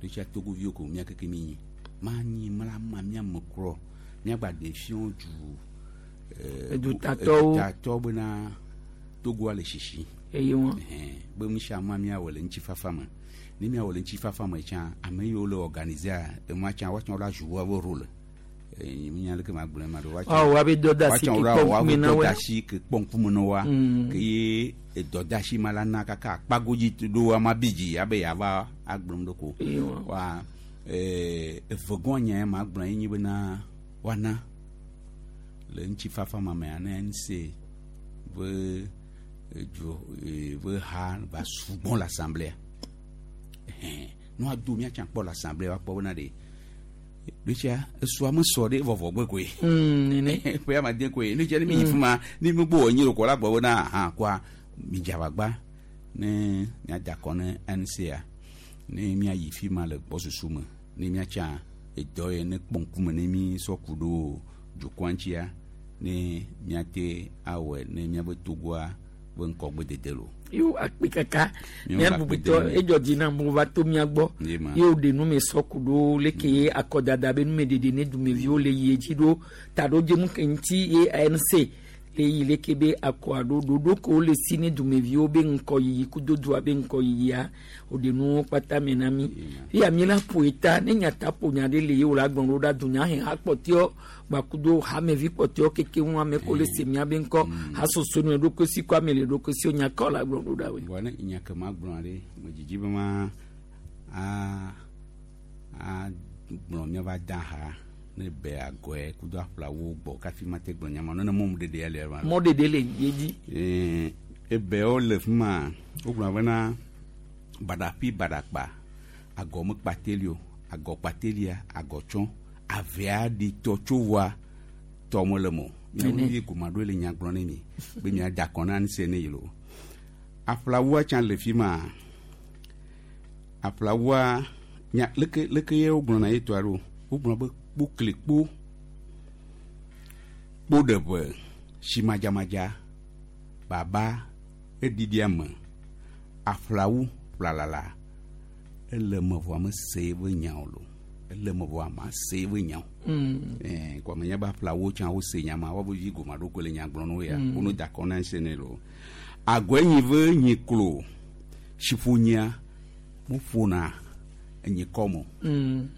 I: Ɖo tsia togoviwo ko mía keke mi nyi ma nyi ma la ma mía me krɔ míagba ɖe fiɔ du eh,
A: Edutatɔwo.
I: edutatɔwo bena togoa le sisi
A: Eye wa.
I: Ɛhɛn, be nu sia nua míawɔ le ŋutifafa me ne míawɔ le ŋutifafa me tsã ame yiwo le organisea enua tsã woatsã wola zu woabe role Eh, nya leke ma gblɔe ma ɖo woatsã-
A: Woawɔ woabe dɔdeasi
I: woatsã
A: ke
I: wola
A: kpɔ
I: wɔ woabe
A: ŋkume na woe.
I: dɔdeasi ke kpɔ ŋkume na woa
A: Mm.
I: ke ye edɔdeasi ma la na kaka akpagodzi ɖo ama bi dzi abe yeava agblɔm ɖo ko
A: Eye wa.
I: wa eh, evegɔa nya ya ma gblɔ ye nyi bena woana le ŋutifafa ma mea ne nse be edzo eh, be ha va sugbɔ le assemblée ɛhɛn ne woado míatsã kpɔ le assemblée woakpɔ bena ɖe ɖo tsia esua mesɔ ɖe vɔvɔ gbe koe
A: Mm, nene.
I: ƒe amade koe ne tsia ne mi yi
A: Mm.
I: fi ma ne mi gbɔ wɔ nyi ɖo kɔ la gbɔ bena hã koa mi dze agbagba ne miada akɔ ne NCA ne miayi fi ma le gbɔsusu me ne miatsa edɔ ye ne kpɔ ŋkume ne mi sɔ ku ɖo dukɔa ŋutia ne miate awɔe ne miabe togoa be ŋkɔgbe dede lo.
A: Yo akpe kaka
I: Míawo
A: mía
I: le akpe
A: bubutɔ
I: dem.
A: edzɔ dzi na mo va to mía gbɔ
I: Ye ma.
A: ye wo ɖe nu me sɔku ɖo leke ye akɔdada be numeɖeɖe ne dumeviwo le yi edzi ɖo taɖodzinu ke ŋuti ye ANC le yi leke be akɔa ɖo ɖoɖo ke wole si ne dumeviwo be ŋkɔyiyi kudo dua be ŋkɔyiyia woɖe nuwo kpata me na mi eya mi la ƒo eta ne nyata ƒo nya ɖe le ye wo la gblɔ ɖo ɖa dunya he ha kpɔtɛɔ gbakudo hamevi kpɔtɛɔ keke ŋu ame ko le se mía be ŋkɔ hasoso nu ɖokui si ko ame le ɖokui si wo nya kɔ la gblɔ ɖo ɖa woe.
I: Vɔ ne nya ke ma gblɔ ɖe me dzidzi be ma a a gblɔ míava da ha ne be agɔe kudo aƒlawo gbɔ kafi ma te gblɔ nya ma ne mɔmu ɖeɖe ya le ma.
A: Mɔɖeɖe le ye dzi.
I: Ee, ebewo le fi ma wogblɔ bena baɖaƒi baɖakpa agɔ mekpateli o agɔ kpatelia agɔ tsɔ avea ɖi tɔ tso voa tɔ mele mo
A: Nene.
I: miawo ye goma ɖo le nya gblɔ ne mi be miada akɔ na nuse ne yi lo aƒlawua tsã le fi ma aƒlawua nya leke leke ye wogblɔna ye tɔa ɖo wogblɔ be kpokli kpo kpo ɖe ʋe si madzamadza Baba eɖiɖia me aƒlawu ƒlalala ele me vɔa me se be nyawo lo ele me vɔa ma se be nyawo. Ɛɛ kɔmi nye be aƒlawo tsã wo se nya ma wobe vi goma ɖo ko le nya gblɔ no ya
A: Mm.
I: wo no da kɔ na se ne lo. Agɔe nyi ve nyi klo siƒonyia mo ƒona enyi kɔmɔ
A: Mm.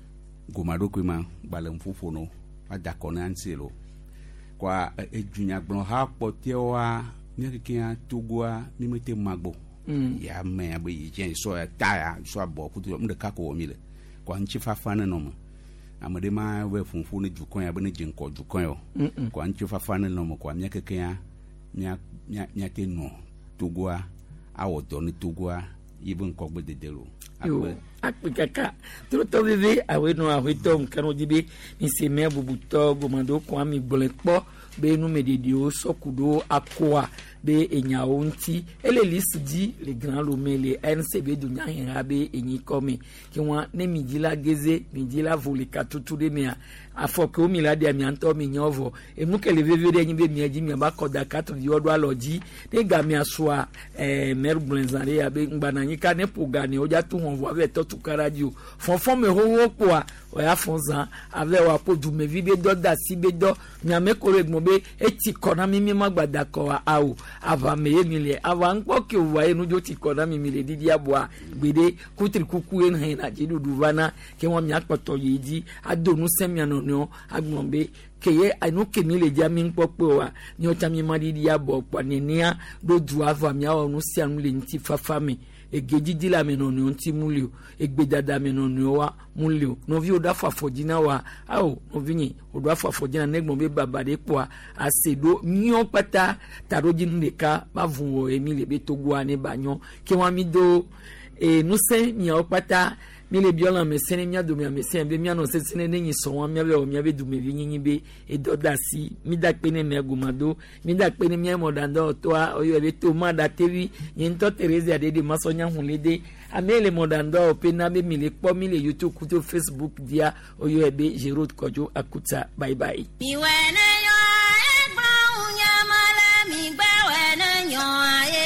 I: goma ɖokui ma gbalẽ ƒoƒo no va da kɔ na ŋuti lo kɔa edunyagblɔ ha kpɔtɛwoa mía kekea Togoa mi mete magbo
A: Mm.
I: ya me abe yi dze sɔ ya ta ya sɔ abɔ kutu nu ɖeka ko wɔ mi le kɔa ŋutifafa ne nɔ me ame ɖe ma be funfun ne dukɔ ya be ne dze ŋkɔ dukɔ ya o
A: Mm-mm.
I: kɔa ŋutifafa ne nɔ me kɔa mía kekea mía mía míate nɔ Togoa awɔ dɔ ne Togoa yi be ŋkɔgbe dede lo
A: Yo, akpe kaka trotɔ veve awoe nɔ ahoetɔ nkanu di be mise mɛ bubutɔ gomado kɔn ami gblɔe kpɔ be numeɖeɖewo sɔku ɖo akoa be enyawo ŋuti ele lisi dzi le Grand Lomé le N C B dunyaheha be enyikɔ me ke wa ne mi dzi la geze mi dzi la vo le katutu ɖe mea afɔ kewo mi la ɖea mia ŋutɔ mi nyɔ vɔ enu ke le veve ɖe nyi be mia dzi miaba kɔ da katu viwo ɖo alɔ dzi ne gamea sua ɛɛ mɛri gblɔe zã ɖe ya be ŋgbana ka ne ƒo ga ne wodza tu hɔn vɔ ave tɔ tu ka ɖa dzi o fɔfɔ me xoxo kpoa oya fɔ zã ave wa ƒo dumevi be dɔ da asi be dɔ miame ko le gbɔn be etsi kɔ na mi mi ma gba da kɔ wa awo aʋame ye mi le aʋa ŋkpɔ ke wòva ye nudzo tsi kɔ na mi mi le didi aboa gbeɖe kutri kuku ye hɛn na dziɖuɖu va na ke wɔn miakpɔtɔ yi dzi ado ŋusẽ mia nɔnɔewo agblɔ be ke ye enu ke mi le dzia mi ŋkpɔ kpe wa míawo tsã mi ma ɖiɖi abɔ kpɔa nenea ɖo du ava miawɔ nu sia nu le ŋutifafa me egedzidzi le ame nɔnɔewo ŋuti mu li o egbedada ame nɔnɔewo wa mu li o nɔviwo ɖo afɔ afɔ dzi na wa awo nɔvinye woɖo afɔ afɔ dzi na ne gbɔn be baba ɖe kpoa ase ɖo míawo kpata taɖodzinu ɖeka ba vu wɔ ye mi le be Togoa ne ba nyɔ ke wa mi do ee ŋusẽ miawo kpata mi le biɔ lãmesẽ ne mía dome amesẽ be míanɔ sesẽ ne nyi sɔn wa míabe wɔ míabe dumevi nyinyi be edɔ da asi mi da kpe ne mia gomado mi da kpe ne mía mɔɖaŋdɔwɔtɔa oyɔ be to ma da tevi nye ŋutɔ Therese aɖe masɔ nya hun le de ame le mɔɖaŋdɔwɔƒe na be mi le kpɔ mi le YouTube kudo Facebook dia oyɔ be Gerald Kɔdzo Akuta bye bye.
T: Miwɛ ne yɔ egblɔ nyama le migbɛwɛ ne nyɔ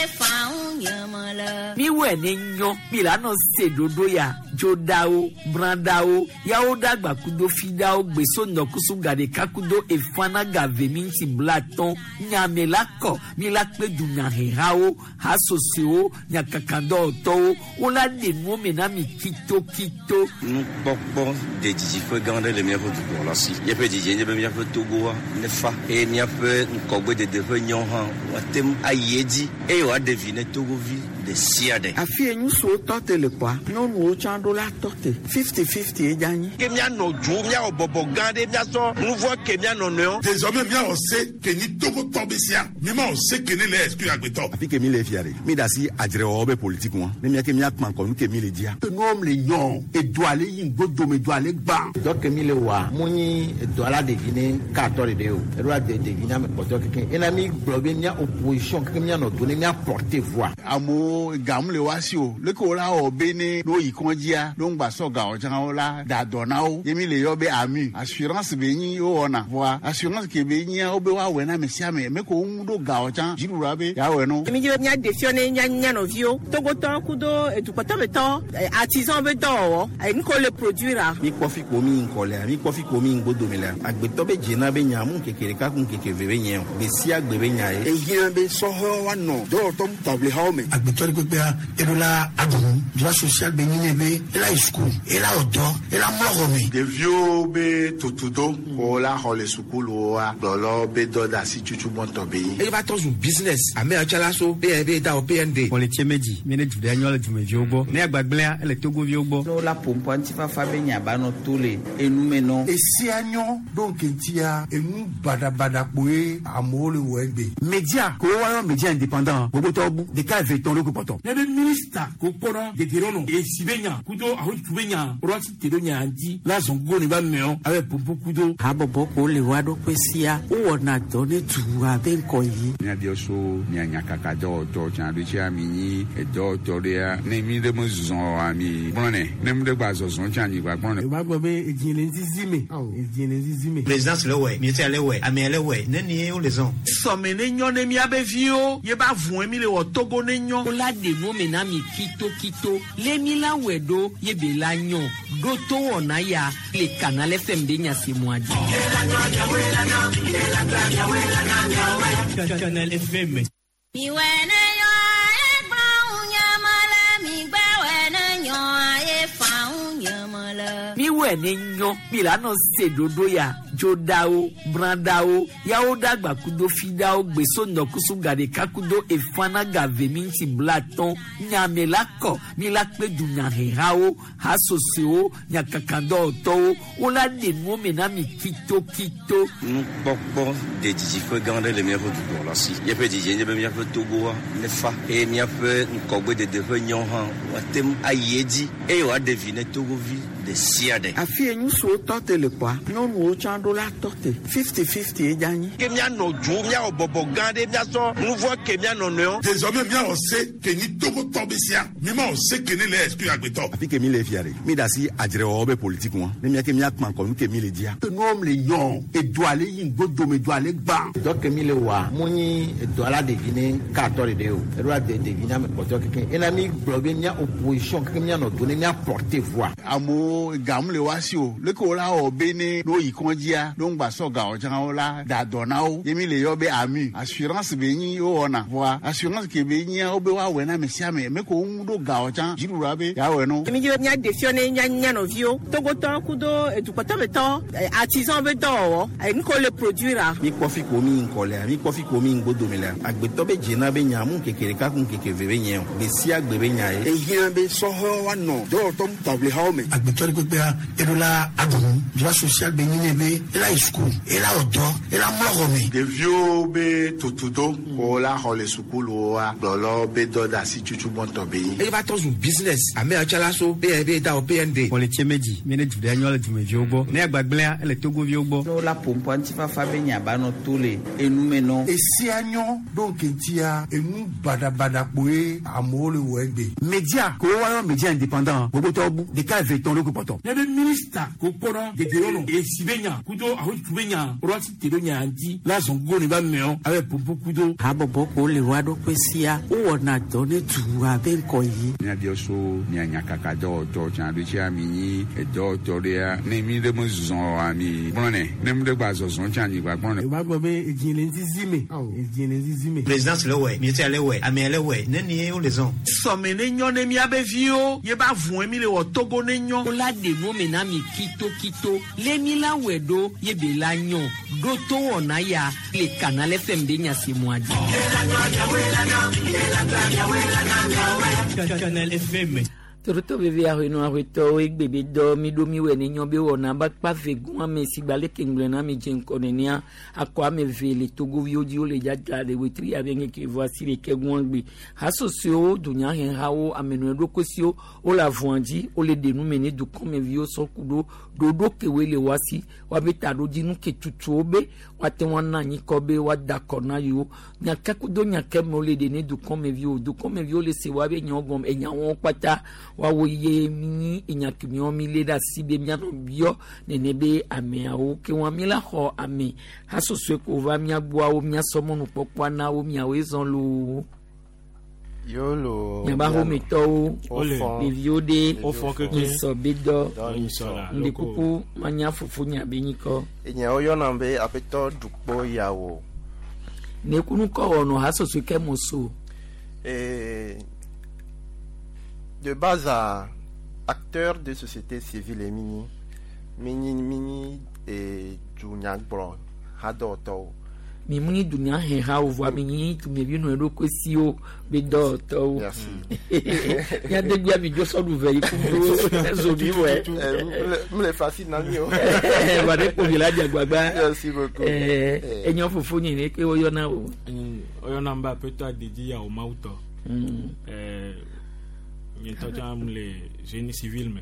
T: efa nyama le.
A: Miwɛ ne nyɔ mi la nɔ se ɖoɖo ya dzoɖawo bradawo yawo dagba kudo fidawo gbeso ŋdɔkusu gaɖeka kudo efana gave mi ŋuti blatɔn nyame la kɔ mi la kpe dunyahehawo hasosowo nyakakadɔwɔtɔwo wola ɖe nuwo me na mi kitokito.
B: Nukpɔkpɔ de didiƒe gã aɖe le míaƒe dukplɔla si. Míaƒe didie nye be míaƒe Togoa nefa eye míaƒe ŋkɔgbedede ƒe nyɔ hã woate ŋu ayi edzi eye wòaɖe vi ne Togovi ɖe sia ɖe.
C: Afi ye ŋutsuwo tɔ te le kpɔa nyɔnuwo tsã ɖo la tɔ te fifty fifty ye dza nyi.
N: Ke míanɔ dzo míawɔ bɔbɔ gã ɖe míasɔ nu vɔ ke míanɔ nɔewo.
E: Désormais míawɔ se ke nyi Togotɔ be sia mi ma wɔ se ke ne le exclure agbetɔ.
F: Afi ke mi le fia ɖe mi da asi adzrewɔwɔ be politique ŋua ne mía ke míakpã ŋkɔ nu ke mi le dzia.
G: Nuwɔm le nyɔ edoa le yi ŋgodome doa le gbã.
H: Dɔ ke mi le wa mu nyi edɔ la ɖevi ne katɔ ɖeɖe o eɖo la de ɖevi na ame kpɔtɔ keke ena mi gblɔ be mía opposition keke míanɔ do ne mía porter voix.
M: Amewo gamu le wa si o leke wo la wɔ be ne n'o yi kɔndzia n'o ŋgba sɔ gawo tsã wo la da dɔ na wo ye mi le yɔ be ami assurance be nyi wo wɔna voa assurance ke be nyia wo be woawɔe na ame sia ame me ko wo ŋu ɖo gawo tsã dziɖuɖua be yeawɔe no.
J: Mi dzi be mía ɖe fiɔ ne mía mía nɔviwo Togotɔ kudo edukpɔtɔmetɔ artisan be dɔwɔwɔ nu ko le produire.
K: Mi kpɔ fi ko mi ŋkɔ lea mi kpɔ fi ko mi ŋgodome lea agbetɔ be dzena be nya mu ŋkeke ɖeka ku ŋkeke ve be nye o gbe sia gbe be nya ye.
L: Ehiã be sɔhɛwo woanɔ dɔwɔtɔ taʋlihawo me. Agbetɔ ɖe kpekpea eɖo la aɖu nu droit social be nyi ne be ela yi suku ela wɔ dɔ ela mlɔ xɔ me.
M: Ɖeviwo be tutudo ko la xɔ le sukuluwoa gblɔlɔ be dɔ da asi tutu gbɔntɔ be yi.
N: Eye va trɔ zu business ame yawo tsã la so P N B da wɔ P N D.
O: Kpɔletse medzi mi ne du ɖe nyɔ le dumeviwo gbɔ ne agbagbléa ele Togoviwo gbɔ.
P: Ne wola ƒoƒoa ŋutifafa be nya ba nɔ to le enume nɔ.
G: Esia nyɔ ɖo ŋkeŋtia enu baɖabaɖa kpoe amewo le wɔ egbe.
F: Media ko woayɔ media indépendant gbogbotɔwo bu ɖeka eve tɔn ɖo kpɔtɔ.
Q: Ne be minista ko kpɔnɔ dedienɔnɔ esi be nya kudo Kudo ahotutu be nya woɖo asi te ɖo nya ŋuti la zɔn gogo ne ba meɔ abe ƒoƒo kudo.
C: Habɔbɔ ko le wa ɖokui sia wowɔna dɔ ne dua be ŋkɔ yi.
I: Míabiɔ so mia nyakaka dɔwɔtɔ tsã ɖo tsia mi nyi edɔwɔtɔ ɖea ne mi ɖe me zɔ oa mi gblɔnɛ ne mi ɖe gba zɔzɔ tsã mi gba gblɔnɛ.
R: Eva gblɔ be edzi le ŋzizi me edzi le ŋzizi me.
S: Présidence le wɛ ministère le wɛ ame le wɛ ne nie wo le zɔn.
D: Sɔme ne nyɔ ne miabe viwo ye ba vɔe mi le wɔ Togo ne nyɔ.
A: Wola ɖe nu me na mi kitokito le mi la wɛ ɖo ye be la nyɔ ɖo to wɔna ya le Canal F M be nyasemua dzi.
O: Canal F M.
T: Miwɛ ne yɔ egblɔ ŋu le mi gbɛwɛ ne nyɔ ye fa ŋu nyame le.
A: Miwɛ ne nyɔ mi la nɔ se ɖoɖo ya dzodawo bradawo yawo dagba kudo fidawo gbeso ŋdɔkusu gaɖeka kudo efana gave mi ŋuti blatɔn nyame la kɔ mi la kpe dunyahehawo hasosowo nyakakadɔwɔtɔwo wola ɖe nuwo me na mi kitokito.
B: Nukpɔkpɔ de didiƒe gã aɖe le míaƒe dukplɔla si. Míaƒe didie nye be míaƒe Togoa nefa eye míaƒe ŋkɔgbedede ƒe nyɔ hã woate ŋu ayi edzi eye wòaɖe vi ne Togovi ɖe sia ɖe.
C: Afi ye ŋutsuwo tɔ te le kpɔa, nyɔnuwo tsã ɖo la tɔ te fifty fifty ye dza nyi.
N: Ke míanɔ dzo, míawɔ bɔbɔ gã ɖe, míasɔ nuvɔ ke míanɔ nɔewo.
E: Désormais míawɔ se ke nyi Togotɔ be sia, mímawɔ se ke ne le exclure agbetɔ.
F: Afi ke mi le fia ɖe, mi da asi adzrewɔwɔ be politique ŋua, ne mía ke míakpã ŋkɔ nu ke mi le dzia.
G: Nuwɔm le yɔ, edoa le yi ŋgodome, edoa le gbã.
H: Dɔ ke mi le wɔa, mu nyi edoa la ɖevi ne katɔ ɖeɖe o, eɖo la de ɖevi na ame kpɔtɔe kekeŋ. Ena mi gblɔ be mía opposition kekeŋ míanɔ do ne mía porter voix.
M: Amewo gamu le wa si o, leke wo la wɔ be ne ne woyi kɔndzia, ne ŋgba sɔ gawo tsã wo la da dɔ na wo. Ye mi le yɔ be AMU, assurance be nyi wowɔna. Vɔa assurance ke be nyia wo be woawɔe na ame sia ame, me ko wo ŋu ɖo gawo tsã dziɖuɖua be yeawɔe no.
J: Mi dzi be míaɖe fiɔ ne mía mía nɔviwo Togotɔ kudo edukpɔtɔmetɔ artisan be dɔwɔwɔ nu ko le produire.
K: Mi kpɔ fi ko mi ŋkɔ lea, mi kpɔ fi ko mi ŋgodome lea, agbetɔ be dzena be nya mu ŋkeke ɖeka ku ŋkeke ve be nye o, gbe sia gbe be nya ye.
L: Ehiã be sɔhɛwo woanɔ dɔwɔtɔ taʋlihawo me.
G: Agbetɔ ɖe kpekpea eɖo la aɖu nu droit social be nyi ne be ela yi suku ela wɔ dɔ ela mlɔ xɔ me.
M: Ɖeviwo be tutudo ko la xɔ le sukuluwoa gblɔlɔ be dɔ da asi tutu gbɔntɔ be yi.
N: Eye va trɔ zu business ame atsala so P N B da o P N D.
O: Xɔ le tiɛmɛ dzi mi ne du ɖe nyɔ le dumeviwo gbɔ ne agbagblẽa ele Togoviwo gbɔ.
P: Ne wola ƒoƒo ŋutifafa be nya ba nɔ to le enume nɔ.
G: Esia nyɔ ɖo ŋkeŋtia enu baɖabaɖa kpoe amewo le wɔ egbe.
L: Media ko woayɔ media indépendant gbogbotɔwo bu ɖeka eve tɔn ɖo kpɔtɔ.
Q: Ne be minista ko kpɔnɔ dedienɔnɔ esi be nya kudo ahotutu be nya woɖo asi te ɖo nya ŋuti la zɔn gogo ne ba meɔ abe ƒoƒo kudo.
C: Habɔbɔ ko le wa ɖokui sia wowɔna dɔ ne dua be ŋkɔ yi.
I: Míabiɔ so mia nyakaka dɔwɔtɔ tsã ɖo tsia mi nyi edɔwɔtɔ ɖea ne mi ɖe me zɔ oa mi gblɔnɛ ne mi ɖe gba zɔzɔ tsã mi gba gblɔnɛ.
R: Eva gblɔ be edzi le ŋzizi me edzi le ŋzizi me.
S: Présidence le wɛ ministère le wɛ ame le wɛ ne nie wo le zɔn.
D: Sɔme ne nyɔ ne miabe viwo ye ba vɔe mi le wɔ Togo ne nyɔ.
A: Wola ɖe nu me na mi kitokito le mi la wɛ ɖo ye be la nyɔ ɖo to wɔna ya le Canal F M be nyasemua dzi.
O: Canal F M.
A: Torotɔ veve ahoenɔ ahoetɔwo egbe be dɔ mi ɖo mi wɔ ne nyɔ be wɔna ba kpa ve gun ame si gba leke ŋgblẽ na mi dze ŋkɔ nenea akɔ ame ve le Togoviwo dzi wole dzadza le wetri abe ŋkeke vɔ asi ɖeke gun gbe hasosoewo dunyahehawo amenɔe ɖokuisiwo wole avɔa dzi wole ɖe nu me ne dukɔmeviwo sɔ ku ɖo ɖoɖo kewoe le woa si woabe taɖodzinu ke tutuwo be woate ŋu ana anyikɔ be woada akɔ na yewo nyake kudo nyake me wole ɖe ne dukɔmeviwo dukɔmeviwo le se woabe nyawo gɔme enyawo kpata woawo ye mi enyakemiwo mi lé ɖe asi be mianɔ biɔ nene be ameawo ke wɔn mi la xɔ ame hasosoe ko va miagbɔawo miasɔ mɔnukpɔkpɔa na wo miawoe zɔn loo.
U: Yolo.
A: Miaba hometɔwo ɖeviwo ɖe nyisɔ be dɔ ŋdi kuku manya fofo nya be nyikɔ.
U: Enyawo yɔna be aƒetɔ Dukpo yawo.
A: Nekunukɔ wɔnɔ hasosoe ke mo so.
U: Ee. De base à acteur de société civile mini mini mini et dunyagbɔ hadɔtɔwo.
A: Mi mu ni dunyahehawo vɔa mi nyi dumevi nɔ eɖokuisiwo be dɔwɔtɔwo.
U: Merci.
A: Miadegbea mi dzo sɔɖu ve yi kudo zobi wɛ.
U: M le facile na mi o.
A: Wa ɖe kpovi la dze agbagba.
U: Merci beaucoup.
A: Ɛɛ enyɔ fofo nyi ne ke woyɔna o.
V: Woyɔna be aƒetɔ Adedi Yawo Mawutɔ. Ɛɛ
T: Nye ŋutɔ tsã le génie civil me.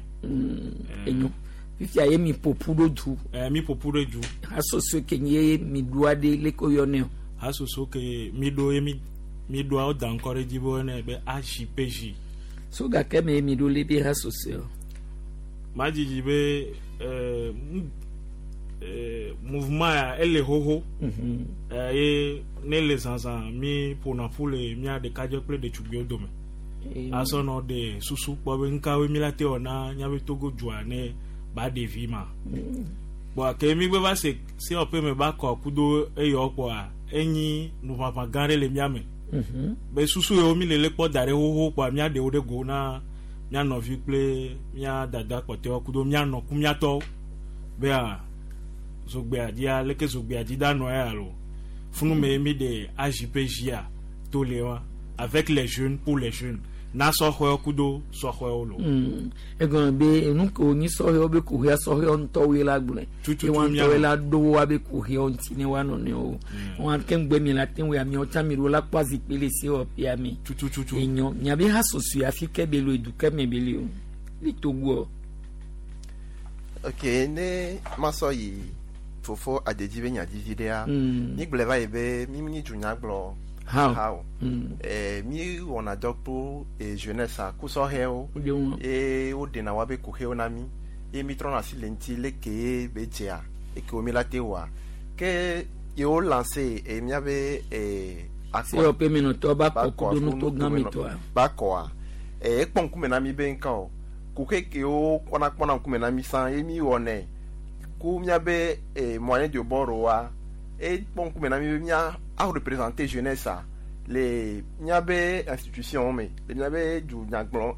A: Enyo. Fifia ye mi ƒoƒu ɖo du.
T: Eh, mi ƒoƒu ɖo du.
A: Hasoso ke nye mi ɖoa ɖe leke woyɔnɛ o.
T: Hasoso ke mi ɖo ye mi mi ɖoa wo da ŋkɔ ɖe dzi be woyɔnɛ be A J P J.
A: So gake me mi ɖo le be hasoso o.
T: Madzidzi be eh, mu- eh, mouvement ya ele xoxo.
A: Mhm.
T: Eh, ye ne le zazã mi ƒona ƒu le mía ɖekadze kple ɖetugbiwo dome. Asɔ nɔ ɖe susu kpɔ be nukawoe mi la te wɔ na míabe Togo dua ne ba ɖevi ma. Kpɔa ke mi gbe va se sewɔƒe me ba kɔ kudo eyɔ kpɔa enyi nuʋaʋã gã ɖe le mía me.
A: Mhm.
T: Be susu yiwo mi le le kpɔ da ɖe xoxo kpɔa mía ɖewo ɖe go na mía nɔvi kple mía dada kpɔtɔewo kudo mía nɔ ku mía tɔwo bea zogbea dzia leke zogbea dzi da nɔ ya alo funu me mi ɖe A J P J a to le wa avec les jeunes, pour les jeunes, na sɔxɔewo kudo sɔxɔewo lo.
A: Mm. Egɔme be enu ke wonyi sɔhɛwo be kuxia sɔhɛwo ŋutɔwoe la gblɔe.
T: Tututu
A: Ye woa
T: mía
A: ŋutɔwoe
T: nɔ.
A: la ɖo woabe kuxiawo ŋuti ne woanɔ nɔewo. Wɔn ke ŋugbe mi la te ŋu amiawo tsã mi ɖo la kpɔ azikpui le sewɔƒea me.
T: Tutututu.
A: Enyo miabe hasoso afi ke be lo edu ke me be le o. Le Togo.
U: Ok, ne masɔ yi fofo adedzi be nyadivi ɖea,
A: Mm.
U: mi gblɔe va yi be mi nyi dunyagblɔ
A: How?
U: how
A: Mm.
U: Eh, mi wɔna dɔ kple eh, jeunesse a kusɔhɛwo
A: Wo ɖe
U: ye woɖena woabe kuxewo na mi ye mi trɔna asi le ŋuti leke ye be dzea eke wo mi la te wɔa ke yewo lancé eh, miabe eh, akpɔ-
A: Sewɔƒe menɔtɔwo ba kɔ
U: kɔ
A: kudo nuto gã me tɔa.
U: ba kɔa eh, ekpɔ ŋkume na mi be ŋka o kuxe kewo kpɔna kpɔna ŋkume na mi sã ye mi wɔnɛ ku miabe eh, moyen de bord wa ekpɔ ŋkume na mi be mia a représenter jeunesse a le miabe institution me le miabe dunyagblɔ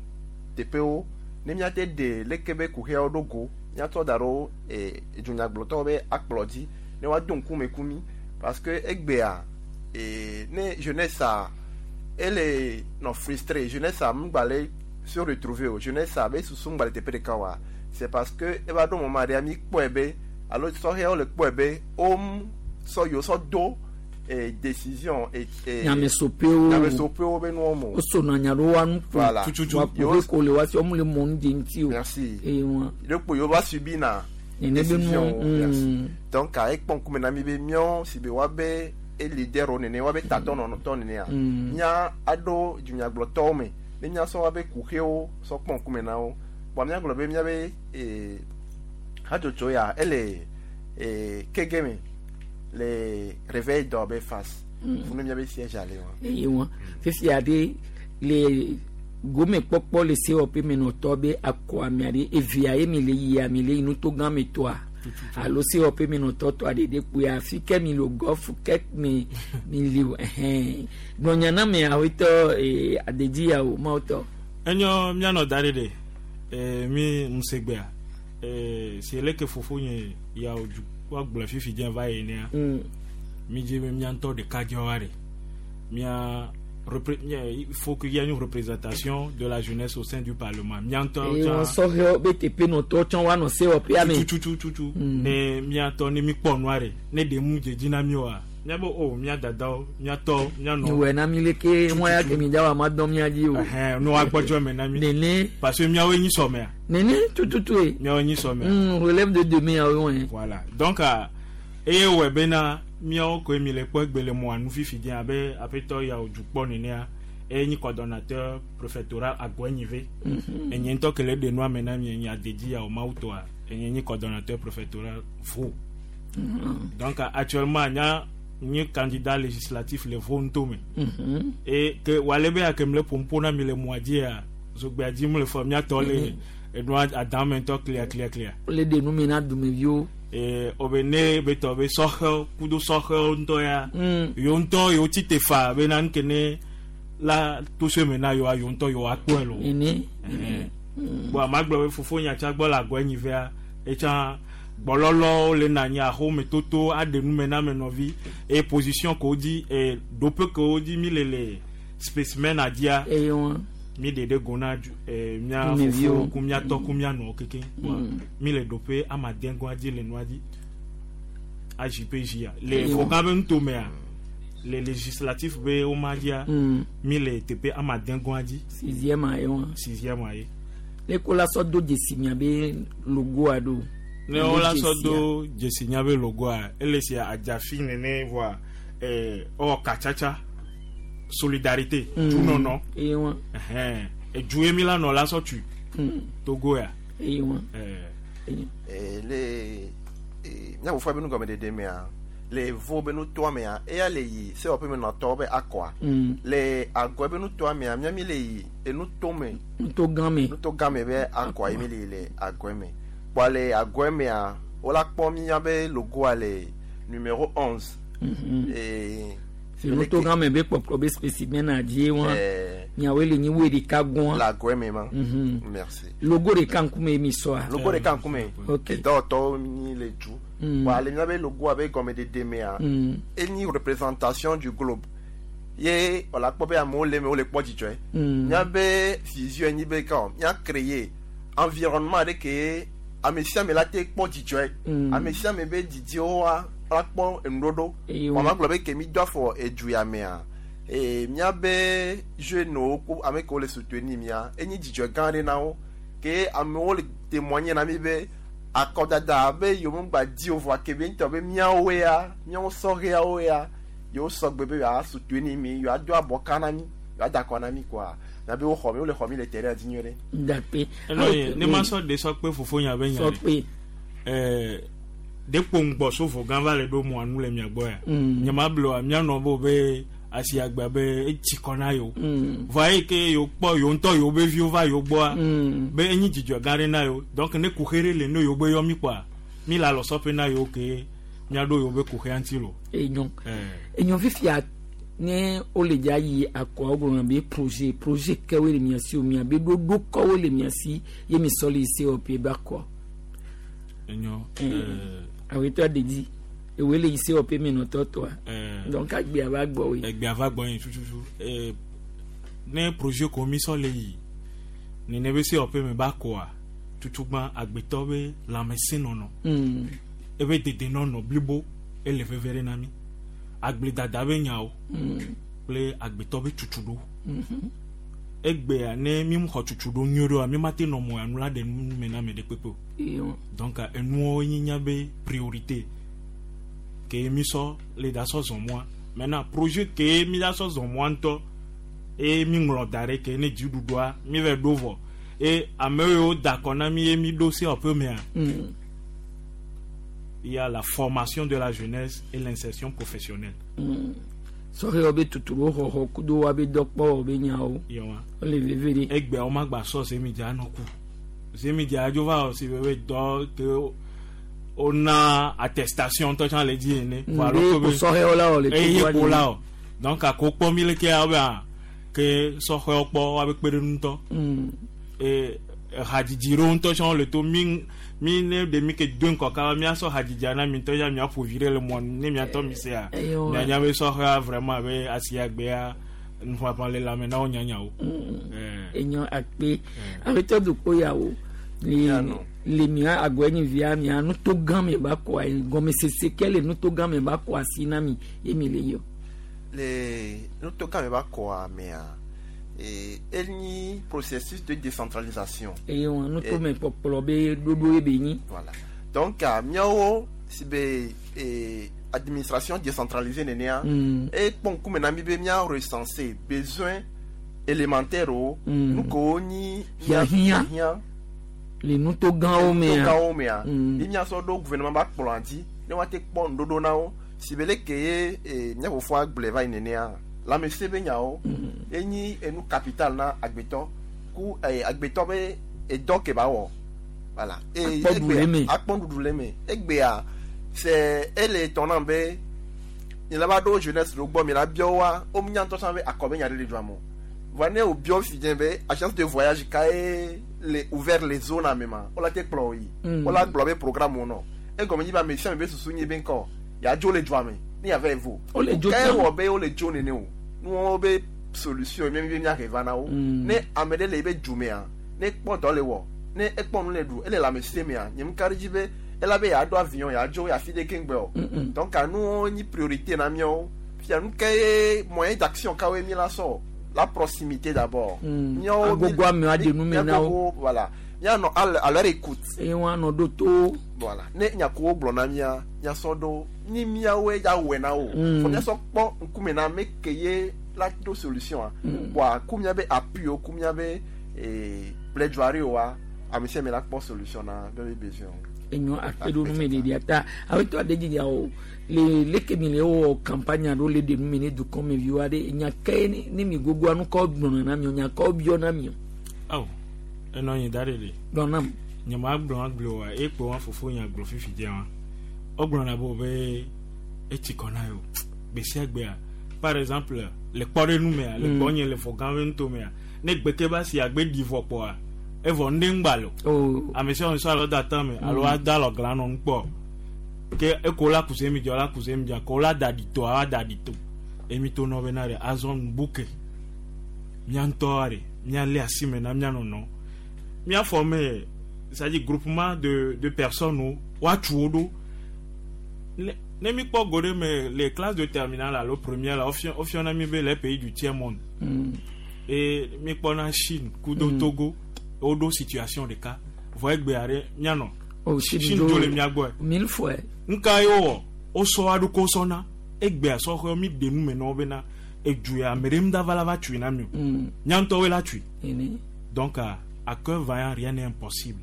U: teƒewo ne miate ɖe leke be kuxeawo ɖo go miatsɔ da ɖo eh, dunyagblɔtɔwo be akplɔ dzi ne woado ŋkume ku mi parce que egbea eh, ne jeunesse a ele nɔ frustré, jeunesse a ŋgba le se retrouver o jeunesse a be susu ŋgba le teƒe ɖeka oa, c'est parce que eva ɖo moment ɖea mi kpɔe be alo sɔhɛwo le kpɔe be wo sɔ yewo sɔ do eh, décision et et
A: Nyamesoƒewo.
U: nyamesoƒewo be nuwo me o.
A: Wosona nya ɖo woa nu ƒo.
U: Voilà.
A: Wa kuxe ko le wa si wɔm le mɔ nu dze ŋuti o.
U: Merci.
A: Eye wɔn.
U: Ɖekpo yewo va subi na
A: Nene be
U: décision
A: nuwo,
U: wo. Merci.
A: mm.
U: Donc a ekpɔ ŋkume na mi be míawo si be woabe e leader wo nene woabe tatɔ nɔnɔtɔ nenea
A: Mm.
U: mía aɖo dunyagblɔtɔwo me ne míasɔ woabe kuxewo sɔ kpɔ ŋkume na wo bɔn míagblɔ be míabe eh, hatsotso ya ele eh, kege me le réveil dɔ be face
A: Mm.
U: funu míabe siège ale wa.
A: Eye wɔn fifia ɖe le gome kpɔkpɔ le sewɔƒe menɔtɔ be akɔ amea ɖe evea ye mi le yia mi le yi nuto gã me tɔa alo sewɔƒe menɔtɔ tɔa ɖe ɖe kpoa afi ke mi le gɔfu ke mi mi li o ɛhɛn gbɔnya na me awetɔ ee adedzi ya o mawo tɔ.
T: Enyo míanɔ da ɖe ɖe eh, mi ŋusegbea eh, si leke fofo nye ya o du woagblɔ fifi dze va yi nea
A: Mm.
T: mi dzi be mía ŋutɔ ɖekadzewoa ɖe mía repré- mía- il faut qu'il y ait une représentation de la jeunesse au sein du parlement mía ŋutɔ
A: Eye wɔn sɔhɛwo be teƒenɔtɔwo tsã woanɔ sewɔƒea me.
T: tutututu
A: Mm.
T: ne mía tɔ ne mi kpɔ nua ɖe ne ɖe mu dzedzi na mi oa míabe o mía dadawo mía tɔwo mía nɔ
A: Miwɔe na mi leke ŋua ya ke mi dza wa ma dɔn mía dzi o.
T: Ɛhɛn, ne woagbɔdzɔ me na mi
A: Nene.
T: Parce que míawoe nyi sɔmea.
A: Nene tututu ye.
T: Míawoe nyi sɔmea.
A: Mm, relève de demain awo wɔn.
T: Voilà, donc ah, eye wɔe bena míawo koe mi le kpɔ egbe le mɔa nu fifi dzi abe aƒetɔ ya wò dukpɔ nenea eye nyi coordonnateur préfectoral Agɔnyive.
A: Mhm.
T: Enye ŋutɔ ke le ɖe nua me na mi enye adedzi ya wò mawu tɔa enye nyi coordonnateur préfectoral Vo.
A: Mhm.
T: Donc ah, actuellement nya nye candidat législatif le Vo ŋutɔ
A: Mhm.
T: et que wale be ake mle ƒomƒo na mi le mɔa dzia zogbea dzi mu le fɔ míatɔ le enua adame ŋutɔ clear clear clear.
A: Le ɖe nu me na dumeviwo.
T: Ee obe ne be tɔ be sɔxewo kudo sɔxewo ŋutɔ ya
A: Mm.
T: yewo ŋutɔ yewo tsi te fa bena nuke ne la to se me na yewoa yewo ŋutɔ yewoa kpɔe lo.
A: Nene.
T: Ɛhɛn. Bon ama gblɔ be fofo nyatsa gbɔ le agɔ enyivea etsã gbɔlɔlɔwo le na anyi axome toto aɖe nu me na ame nɔvi eye position ke wodzi ee ɖoƒe ke wodzi mi le le spécimen adzia
A: Eye wɔn.
T: mi ɖe ɖe go na dzu ee mía
A: Dumeviwo.
T: fofowo ku mía tɔ ku mía nɔwo kekeŋ
A: Mm.
T: mi le ɖoƒe amadɛgoa dzi le nua dzi A J P J a le
A: Eye wɔn.
T: fɔka be nutomea Le législatif be wo ma dzia
A: Mm.
T: mi le teƒe amadegɔa dzi.
A: Sixième aye wa.
T: Sixième aye.
A: Ne ko la sɔ do dzesi miabe logoa ɖo.
T: Ne wo la sɔ do dzesi miabe logoa ele si adzafi nene voa ɛɛ ewɔ katsatsa solidarité
A: Mm.
T: dunɔnɔ.
A: Eye wa.
T: Ɛhɛn edu ye mi la nɔ la sɔ tu.
A: Mm.
T: Togo ya.
A: Eye wa.
T: Ɛɛ.
U: Eh, le eh, míaƒo fɔ be nugɔmeɖeɖe mea le vo be nutoa mea eya le yi sewɔƒe me nɔtɔwo be akɔa
A: Mm.
U: le agɔ be nutoa mea míami le yi enutome
A: Nuto gã me.
U: nuto gã me be akɔa ye mi le yi le agɔe me kpɔa le agɔe mea wola kpɔ míabe logoa le numéro onze
A: Mhm.
U: Eh,
A: Si nuto gã me be kpɔkplɔ be spécimen na dzi wa.
U: Eh.
A: Miawoe le nyi woe ɖeka gɔa.
U: le agɔe me ma
A: Mhm.
U: merci
A: Logo ɖeka ŋkume mi sɔa.
U: logo ɖeka ŋkume
A: Ok.
U: edɔwɔtɔwo nyi le du
A: Mm.
U: kpɔa le míabe logoa be gɔmeɖeɖe mea
A: Mm.
U: enyi représentation du globe ye wòle akpɔ be amewo le eme wole kpɔ dzidzɔe
A: Mm.
U: míabe vision nyi be ka mía créer environnement ɖe ke ame sia ame la te kpɔ dzidzɔe
A: Mm.
U: ame sia ame be didiwo wa la kpɔ enuɖoɖo
A: Eye
U: wɔn
A: wa.
U: gblɔ be ke mi do afɔ edu ya mea ee míabe jeunewo ko ame kewo le soutenir mía enyi dzidzɔ gã ɖe na wo ke amewo le témoigner na mi be akɔdada be yewo ŋgba di o vɔa ke be ŋutɔ be míawoe ya míawo sɔhɛawo ya yewo sɔgbe be yewoa soutenir mi yewoa do abɔka na mi yewoa da akɔ na mi koa na be woxɔ mi wole xɔ mi le terrain dzi nyuie ɖe.
A: Dakpe.
T: Eno ye ne ma sɔ de sɔ kpe fofo nya be nya
A: Sɔ kpe.
T: Ɛɛ de kpo ŋgbɔ so vo gã va le ɖo mɔa nu le mia gbɔ ya.
A: Mm.
T: Nye ma blo mia nɔ bo be asi agba be etsi kɔ na yewo.
A: Mm.
T: Vɔa eyi ke yewo kpɔ yewo ŋutɔ yewo be viwo va yewo gbɔa.
A: Mm.
T: Be enyi dzidzɔ gã ɖe na yewo. Donc ne kuxe ɖe le ne yewo be yɔ mi kpɔa mi le alɔsɔƒe na yewo ke miaɖo yewo be kuxea ŋuti lo.
A: Enyo.
T: Ɛɛ.
A: Enyo fifia ne wole dza yi akɔa wogblɔna be projet projet kewoe le mia si o mia be ɖoɖo kɔwoe le mia si ye mi sɔ le yi COP be akɔa.
T: Enyo.
A: Mm.
T: Ɛɛ.
A: Awetɔ aɖe ewoe le yi COP me nɔtɔ tɔa.
T: Ɛɛ.
A: Donc agbea va gbɔ woe.
T: Egbea va gbɔ yin tututu ee ne projet ko mi sɔ le yi nene be COP me ba kɔa tutugbã agbetɔ be lãmesẽnɔnɔ
A: Mm.
T: ebe dedenɔnɔ blibo ele veve ɖe na mi agbledada be nyawo
A: Mm.
T: kple agbetɔ be tutuɖo
A: Mhm.
T: egbea ne mi xɔ tutuɖo nyuie ɖoa mi ma te nɔ mɔ anu la ɖe nu me na ame ɖe kpekpe o
A: Eyo.
T: donc enuwo nyi nya be priorité ke mi sɔ le da sɔ zɔn mɔa maintenant projet ke mi da sɔ zɔn mɔa ŋutɔ eye mi ŋlɔ da ɖe ke ne dziɖuɖua mi vɛ ɖo vɔ eye ame yiwo da akɔ na mi ye mi ɖo COP mea
A: Mm.
T: il y a la formation de la jeunesse et l'insertion professionnelle
A: Mm. Sɔhɛwo be tutuɖo xɔxɔ kudo woabe dɔkpɔwɔ be nyawo.
T: Yewa.
A: Wole veve ɖe.
T: Egbea wo ma gba sɔ zemidza nɔ ku zemidza dzo va wɔ si be be dɔ ke wona attestation ŋutɔ tsã le dzi ene.
A: Mm,
T: Vɔ alo
A: be
T: ko be-
A: ko sɔhɛwo la wɔ le
T: Eye
A: Togoa
T: ko
A: dzi.
T: la wɔ donc ako kpɔ mi leke ya be ah, ke sɔhɛwo kpɔ woabe kpe ɖe ŋutɔ.
A: Mm.
T: E hadzidzi ɖewo ŋutɔ tsã le to mi mi ne ɖe mi ke do ŋkɔ kaba miasɔ hadzidzia na mi ŋutɔ ya miaƒo vi ɖe le mɔ nu ne miatɔ mi sea
A: Eyo.
T: mianya be sɔhɛa vraiment be asiagbea nuƒaƒã le lãme na wo nyanyawo.
A: Mm.
T: Eh.
A: Enyo akpe. Awetɔ dukpo yawo. Le le mia agɔenyivia mia nuto gã me ba kɔa gɔmesese ke le nuto gã me ba kɔ asi na mi ye mi le yɔ.
U: le nuto gã me ba kɔa mea eh, enyi processus de décentralisation.
A: Eye wɔn nuto me kpɔkplɔ be ɖoɖo ye be nyi.
U: Voilà. Donc, ah, miawo si be eh, administration décentralisée nenea,
A: Mm.
U: e kpɔ ŋkume na mi be mía recenser besoin élémentaire wo,
A: Mm.
U: nu kewo nyi
A: Hiahiã.
U: hiahiã
A: Le nuto gãwo mea.
U: gãwo mea,
A: Mm.
U: ye míasɔ ɖo gouvernement ba kplɔa dzi ne woate kpɔ nuɖoɖo na wo si be leke ye eh, mía fofoa gblɔe va yi nenea, lãmesẽ be nyawo enyi enu capital na agbetɔ ku eh, agbetɔ be edɔ ke ba wɔ voilà. E-
A: Akpɔ ɖu le eme.
U: akpɔ ɖuɖu le eme egbea c'est ele tɔ nam be mi la va ɖo jeunesse ɖo gbɔ mi la biɔ wa wo nya ŋutɔ tsã be akɔ be nya ɖe le dua me o voa ne wo biɔ fi dze be agence de voyage ka ye le ouvert les zones ame ma wo la te kplɔ wo yi
A: Mm.
U: wo la gblɔ be programme wo nɔ egɔme nyi be ame sia ame be susu nyi be ŋkɔ ya dzo le dua me ne ya va yi vo
A: Wo le dzo
U: ke
A: tsã.
U: wɔ be wo le dzo nene o nuwo be solution mi mi miahe va na wo
A: Mm.
U: ne ame ɖe le ebe du mea ne kpɔ dɔ le wɔ ne ekpɔ nu le ɖu ele lãmesẽ mea nye ŋka ɖe dzi be ela be yeaɖo avion yeadzo yeafi ɖe keŋgbe o
A: Mm-mm.
U: donc anuwo nyi priorité na míawo Fia nu ke ye moyen d'action kawoe mi la sɔ la proximité d'abord.
A: Mm.
U: Míawo mi-
A: Agogo amewo aɖe nu me na wo.
U: míagogo, voilà míanɔ à leur- à leur écoute.
A: Eye woanɔ ɖo to.
U: Voilà ne nyakowo gblɔ na mía míasɔ ɖo ni míawoe ya wɔe na wo.
A: Mm.
U: Fɔ míasɔ kpɔ ŋkume na ame ke ye la ɖo solution a.
A: Mm.
U: Bɔa ku míabe appui wo ku míabe eh, plaidoirie woa ame sia ame la kpɔ solution na míabe besoin.
A: Enyo akpe ɖo nume ɖeɖia ta awetɔ aɖe dzidza o le leke mi le wɔ campagne ɖo le ɖe nume ne dukɔmeviwo aɖe nya ke ne ne mi gogoa nu kɔ gblɔna na mi o nya kɔ biɔ na mi o.
T: Awo enɔ anyi da ɖe le.
A: Gblɔ nam.
T: Nye ma gblɔ agblɔ wa ekpe wa fofo nya gblɔ fifi dze wa. Wogblɔna be wo be etsi kɔ na yewo gbe sia gbea par exemple le kpɔɖenu mea le
A: Mm.
T: kpɔ nye le fɔ gã be nutomea ne gbeke ba si agbe ɖi vɔ kpɔa evɔ ŋɖe ŋgba lo.
A: Oh.
T: Ame sia ame sɔ alo da tame alo
A: Mm.
T: ada alɔ gla nɔ ŋu kpɔ ke eko la kuse mi dzɔ la kuse mi dzɔ ko la da ɖi to awa da ɖi to emi to nɔ bena ɖe azɔ nubuke mía ŋutɔ ɖe míalé asi me na mía nɔnɔ mía former c'est-à-dire groupement de de personnes wo woatu wo ɖo ne ne mi kpɔ go ɖe me les classes de terminale alo première la wofiɔ wofiɔna mi be les pays du tiers monde
A: Mm.
T: et mi kpɔna Chine kudo
A: Mm.
T: Togo woɖo situation ɖeka vɔ egbea ɖe míanɔ
A: Oh, Chine
T: Chine
A: dzo
T: dzo le mía gbɔe
A: mille fois.
T: nuka ye wowɔ wosɔ wa ɖokɔ sɔna egbea sɔxɔ mi ɖe nu me na wo bena edu ya ame ɖe ŋdava la va tui na mi o
A: Mm.
T: mía ŋutɔwoe la tui
A: Ene.
T: donc à, à cœur vaillant rien n'est impossible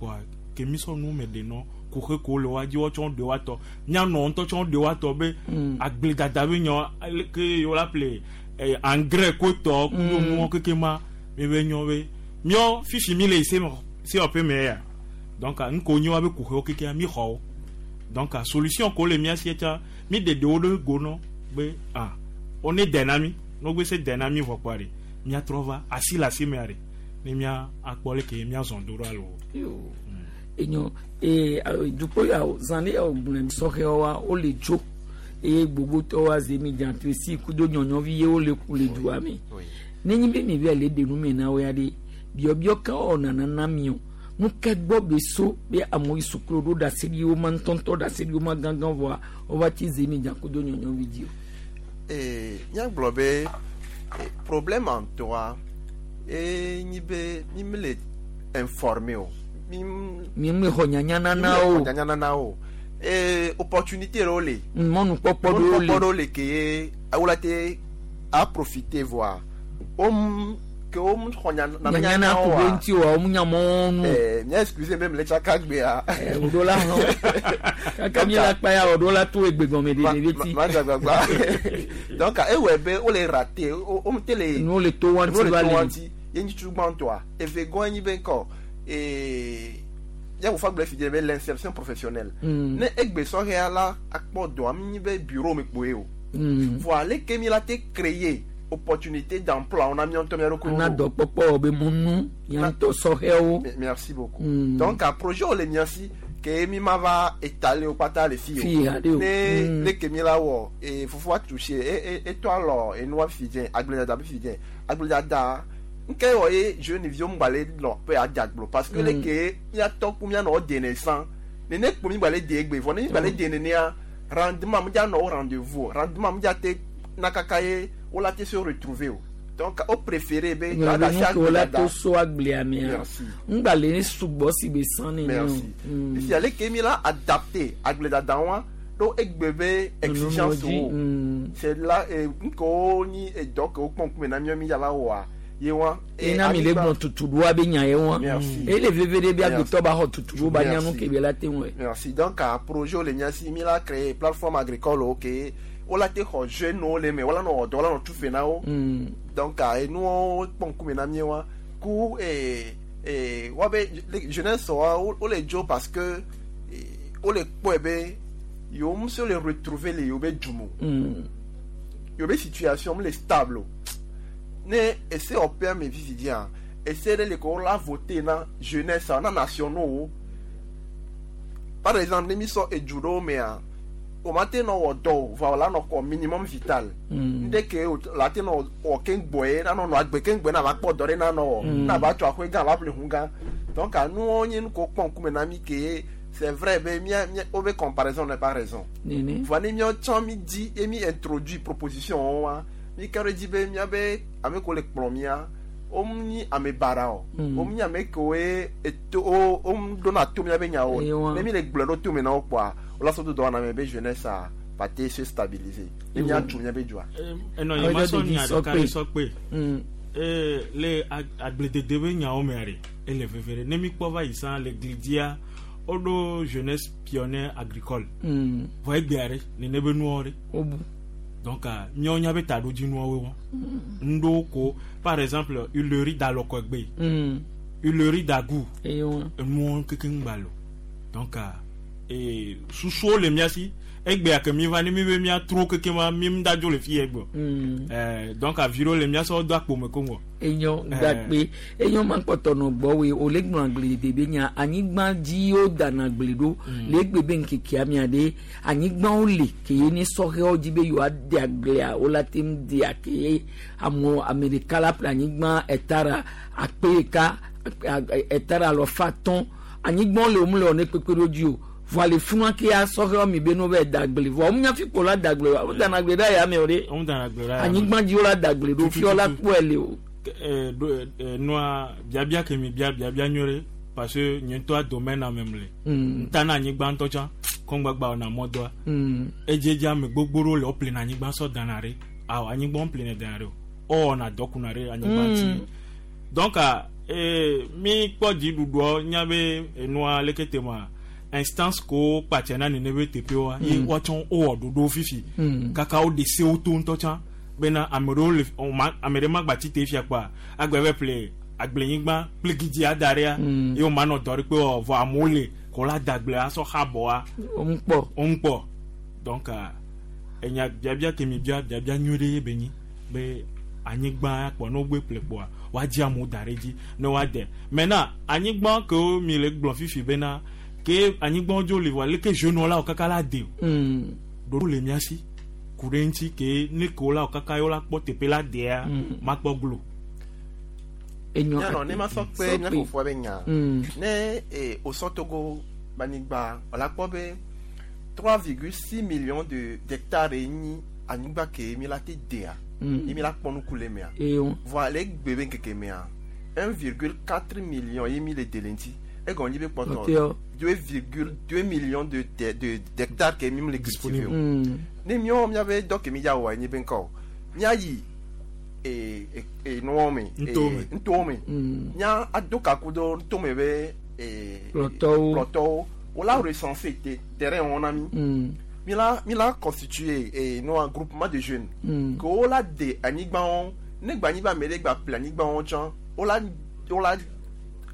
T: wa ke mi sɔ nu me ɖe nɔ kuxe ko le wa dzi wotsɔ ɖe wa tɔ míanɔ ŋutɔ tsɔ ɖe wa tɔ be
A: Mm.
T: agbledada be nyɔ aleke yewo la ple eh, engrais ko tɔ kudo
A: Mm.
T: nuwo keke ma mi be nyɔ be míɔ fifi mi le se COP me ya donc nuko nyi wa be kuxewo keke mi xɔ wo donc solution ko le mía si tsa mi ɖe ɖewo ɖe go nɔ be ah wo ne dɛ na mi ne wo gbe se dɛ na mi vɔ kpɔa ɖe míatrɔ va asi le asi mea ɖe ne mía akpɔ leke míazɔn do ɖo alo.
A: Yo. Enyo ee dukɔ ya o zan ɖe ya o gblɔ sɔxɛwo wa wole dzo eye gbogbotɔwo aze mi dzantresi kudo nyɔnyɔvi ye wole ku le dua me. Nenye be mi be le ɖe nu me na wo ya ɖe biɔbiɔ ka wɔna na mi o nu ke gbɔ be so be amewo yi sukulu ɖo ɖaseɖi wo ma ŋutɔŋutɔ ɖaseɖi wo ma gãgã vɔa wova tsi ze mi dza kudo nyɔnyɔvi dzi o.
U: Eh, míagblɔ be eh, problème ŋutɔa ye nyi be mi mele informé o. Mi
A: Mi me xɔ nyanya nana o.
U: nyanya nana o. Eh, opportunité ɖewo le.
A: Mɔnukpɔkpɔ ɖewo le.
U: Mɔnukpɔkpɔ ɖewo le ke ye wola te a profiter voa wo m- ke wo m xɔ nya nana
A: Nyanya na ku be ŋuti oa wo nya mɔnu.
U: Eh, mía excuse be mele tsaka gbea.
A: Òɖo la hã kaka mi la kpa ya òɖo la to egbe gɔme ɖe ɖevi ti.
U: Ma dzagbagba. Donc ewɔe be wole raté wo wo te le.
A: Nuwo le to wa ŋuti
U: nuwo le
A: va
U: to wa
A: le.
U: ŋuti ye ŋutsu gbãtɔa eve gɔn nyi be ŋkɔ ee yawofa gblɔ fi dze be l'insertion professionnelle.
A: Mm.
U: Ne egbe sɔhɛa la akpɔ dɔ ami nyi be bureau me kpoe o.
A: Mm.
U: Voa leke mi la te créer opportunité d'emploi on a mis ŋutɔ mía ɖokuiwo.
A: Na dɔkpɔkpɔ be mɔnu ya ŋutɔ sɔhɛwo.
U: Me- Merci beaucoup.
A: Mm.
U: Donc un projet wo le mía si ke mi ma va étaler wo kpata le fi o.
A: Fi haɖe o.
U: Ne
A: Mm.
U: leke mi la wɔ ee fofoa touché e e etɔ alɔ enua fi dze agbledada be fi dze agbledada nke wɔ ye jeune viwo ŋgba le lɔ be adzagblɔ parce que
A: Mm.
U: leke míatɔ ku míanɔ wo dene san nene kpo mi gba le de egbe vɔ ne mi gba le de nenea rendement mi dza nɔ wo rendez-vous o rendement mi dza te na kaka ye wo la te se retrouver o donc wo préféré be
A: Nyɔnu
U: asi
A: ke wo la
U: agbledada.
A: to so agblea mea.
U: Merci.
A: Ŋgba le sugbɔ si be san ne
U: Merci.
A: Mm.
U: Fifia leke mi la adapté agbledada wa ɖo egbe be exigence
A: dzi,
U: wo. C'est là eh, ŋkewo nyi edɔ ke wokpɔ ŋkume na míawo mi dza va wɔa ye wa. eh,
A: Ena mi le
U: anyigba-
A: gblɔ tutuɖoa be nya ye wa.
U: Merci.
A: Ele veve ɖe be
U: Merci.
A: agbetɔ ba xɔ tutuɖo ba nya nu
U: Merci.
A: ke be la te ŋu.
U: Merci. Donc, a projet le mía si mi la créé plateforme agricole wo ke wo la te xɔ jeune wo le me wo la nɔ wɔ dɔ wo la nɔ tu fe na wo.
A: Mm.
U: Donc, a enuwo kpɔ ŋkume na mí wa ku eh, eh, wa be le- jeunesse wa wo wo le dzo parce que eh, wo le kpɔe be yewo ŋu se le retrouver le yewo be du me o.
A: Mm.
U: yewo be situation mu le stable o. Ne ese wɔƒea me vivi dzia ese ɖe le ko wo la voter na jeunesse na nationaux wo. Par exemple ne mi sɔ edu ɖewo mea o ma te nɔ wɔ dɔ o vɔ o la nɔ kɔ minimum vital.
A: Mm.
U: Ŋɖe ke o la te nɔ wɔ keŋgbɔe ye nanɔ nɔ agbe keŋgbɔe na va kpɔ dɔ ɖe nanɔ wɔ
A: Mm.
U: na va tso aƒe gã va ƒle ʋu gã donc nuwo nye nu ko kpɔ ŋkume na mi ke ye C'est vrai be mia mia wo be comparaison n'est pas raison.
A: Nene.
U: Voa ne míawo tsã mi di ye mi introduit proposition wo wa mi ka ɖe dzi be míabe ame kewo le kplɔ mía wo nyi ame baɖa o.
A: Mm.
U: Wo nyi ame kewoe eto wo wo ɖona to míabe nyawo.
A: Ewa.
U: Ne mi le gblɔe ɖo tome na wo kpoa wo la sɔ do dɔwɔna me be jeunesse a va te se stabiliser. Ne
A: Ewa.
U: míatu míabe dzoa.
T: Enɔ nye ma sɔ nya ɖeka ɖe sɔ kpe.
A: Mm.
T: Ee, le ag- agbledede be nyawo mea ɖe ele veve ɖe ne mi kpɔ va yi sã le glidia woɖo jeunesse pionnière agricole.
A: Mm.
T: Vɔ egbea ɖe nene be nuawo ɖe.
A: Wobu.
T: Donc ah, míawo nya be taɖodzinuawoe wɔ. Ŋɖewo ko par exemple huilerie d'alɔkɔgbe.
A: Mm.
T: Huilerie d'Agou.
A: Ewa.
T: Enuwo kekeŋ gba lo. Donc ah, ee, susuwo le mía si egbea ke mi va ne mi be míatrɔ keke ma mi ŋda dzo le fi yɛ gbɔ.
A: Mm.
T: Eh, donc avi ɖewo le mía sɔ do akpo me koŋ wɔ.
A: Enyo
T: Eh.
A: gakpe enyo ma kpɔtɔ nɔ gbɔwoe wòle gblɔ agbledede be nya anyigba dzi wo dana agble ɖo le egbe be ŋkekea mia ɖe anyigbawo le ke ye ne sɔhɛwo dzi be yewoa de agblea wo la te ŋu dea ke ye amewo ame ɖeka la ƒle anyigba etara akpe ɖeka etara alɔfa atɔ̃ anyigbawo le wo le wɔ ne kpekpe ɖo dzi o vɔa le funua ke ya sɔhɛwo mi be no va da agble vɔa wo nya fi ko la da agble wa wo dana agble ɖe aya me o ɖe
T: Wo dana agble ɖe aya me.
A: anyigba dzi wo la da agble ɖo fiɔ la kpɔe le o.
T: Eh, ɖo eh, nua biabia ke mi bia biabia nyuie ɖe parce que nye ŋutɔa domaine ame me le.
A: Mm.
T: Ŋta na anyigba ŋutɔ tsã kɔngbagba wɔna mɔdɔa.
A: Mm.
T: Edzedze ame gbogbo ɖewo le woƒlena anyigba sɔ dana ɖe. Awɔ anyigba woƒlena dana ɖe o. Wowɔna dɔ kuna ɖe anyigba
A: Mm.
T: ŋuti. Donc ah, eh, mi kpɔ dziɖuɖuɔ nya be enua leke te ma instance ko kpatsɛ na nene be teƒewoa ye
A: Mm.
T: woatsɔ wowɔ ɖoɖowo fifi.
A: Mm.
T: Kaka wo de sewo to ŋutɔ tsã bena ame ɖewo le o ma ame ɖe ma gba tsi te fia kpoa agbe be ƒle agblenyigba kple gidzi ada ɖea
A: Mm.
T: ye wo ma nɔ dɔ ɖe kpe wɔ vɔ amewo le ko la da agble asɔ xa bɔa.
A: Wo ŋu kpɔ.
T: Wo ŋu kpɔ donc ah, enya biabia ke mi bia biabia nyuie ɖe ye be nyi be anyigba kpɔ ne wogbe ƒle kpoa woadzi amewo da ɖe edzi ne woade maintenant anyigba kewo mi le gblɔ fifi bena ke anyigbawo dzo le vɔa leke jeunewo la wo kaka la de o
A: Mm.
T: ɖoɖo le mía si ku ɖe ŋuti ke ne kewo la wo kaka yewo la kpɔ teƒe la dea
A: Mm.
T: makpɔ glo.
A: Enyo
U: Nyanɔ ne ma sɔ kpe mía fofoa be nya.
A: Mm.
U: Ne eh, osɔ Togo be anyigba wòla kpɔ be trois virgule six millions de d'hectares ye nyi anyigba ke mi la te dea.
A: Mm.
U: Ye mi la kpɔ nuku le mea.
A: Eyo.
U: Voa le egbe be ŋkeke mea un virgule quatre million ye mi le de le ŋuti. Egɔme nyi be kpɔtɔ
A: Kpɔtɔewo.
U: deux virgule deux millions de de de d'hectares ke mi le cultiver o.
A: Mm.
U: Ne míawo míabe dɔ ke mi dza wɔa nye be ŋkɔ o. Míayi e e e nuwo me.
T: Ŋutɔwo me.
U: Ŋutɔwo me.
A: Mm.
U: Mía ado kaku do ŋutɔme be e
A: Kplɔtɔwo.
U: kplɔtɔwo. Wola recenser te terrain wɔn na mi.
A: Mm.
U: Mi la mi la constituer e nua groupement de jeunes.
A: Mm.
U: Ke wola de anyigbawo ne gba anyigba me ɖe gba ƒle anyigbawo tsã wola wola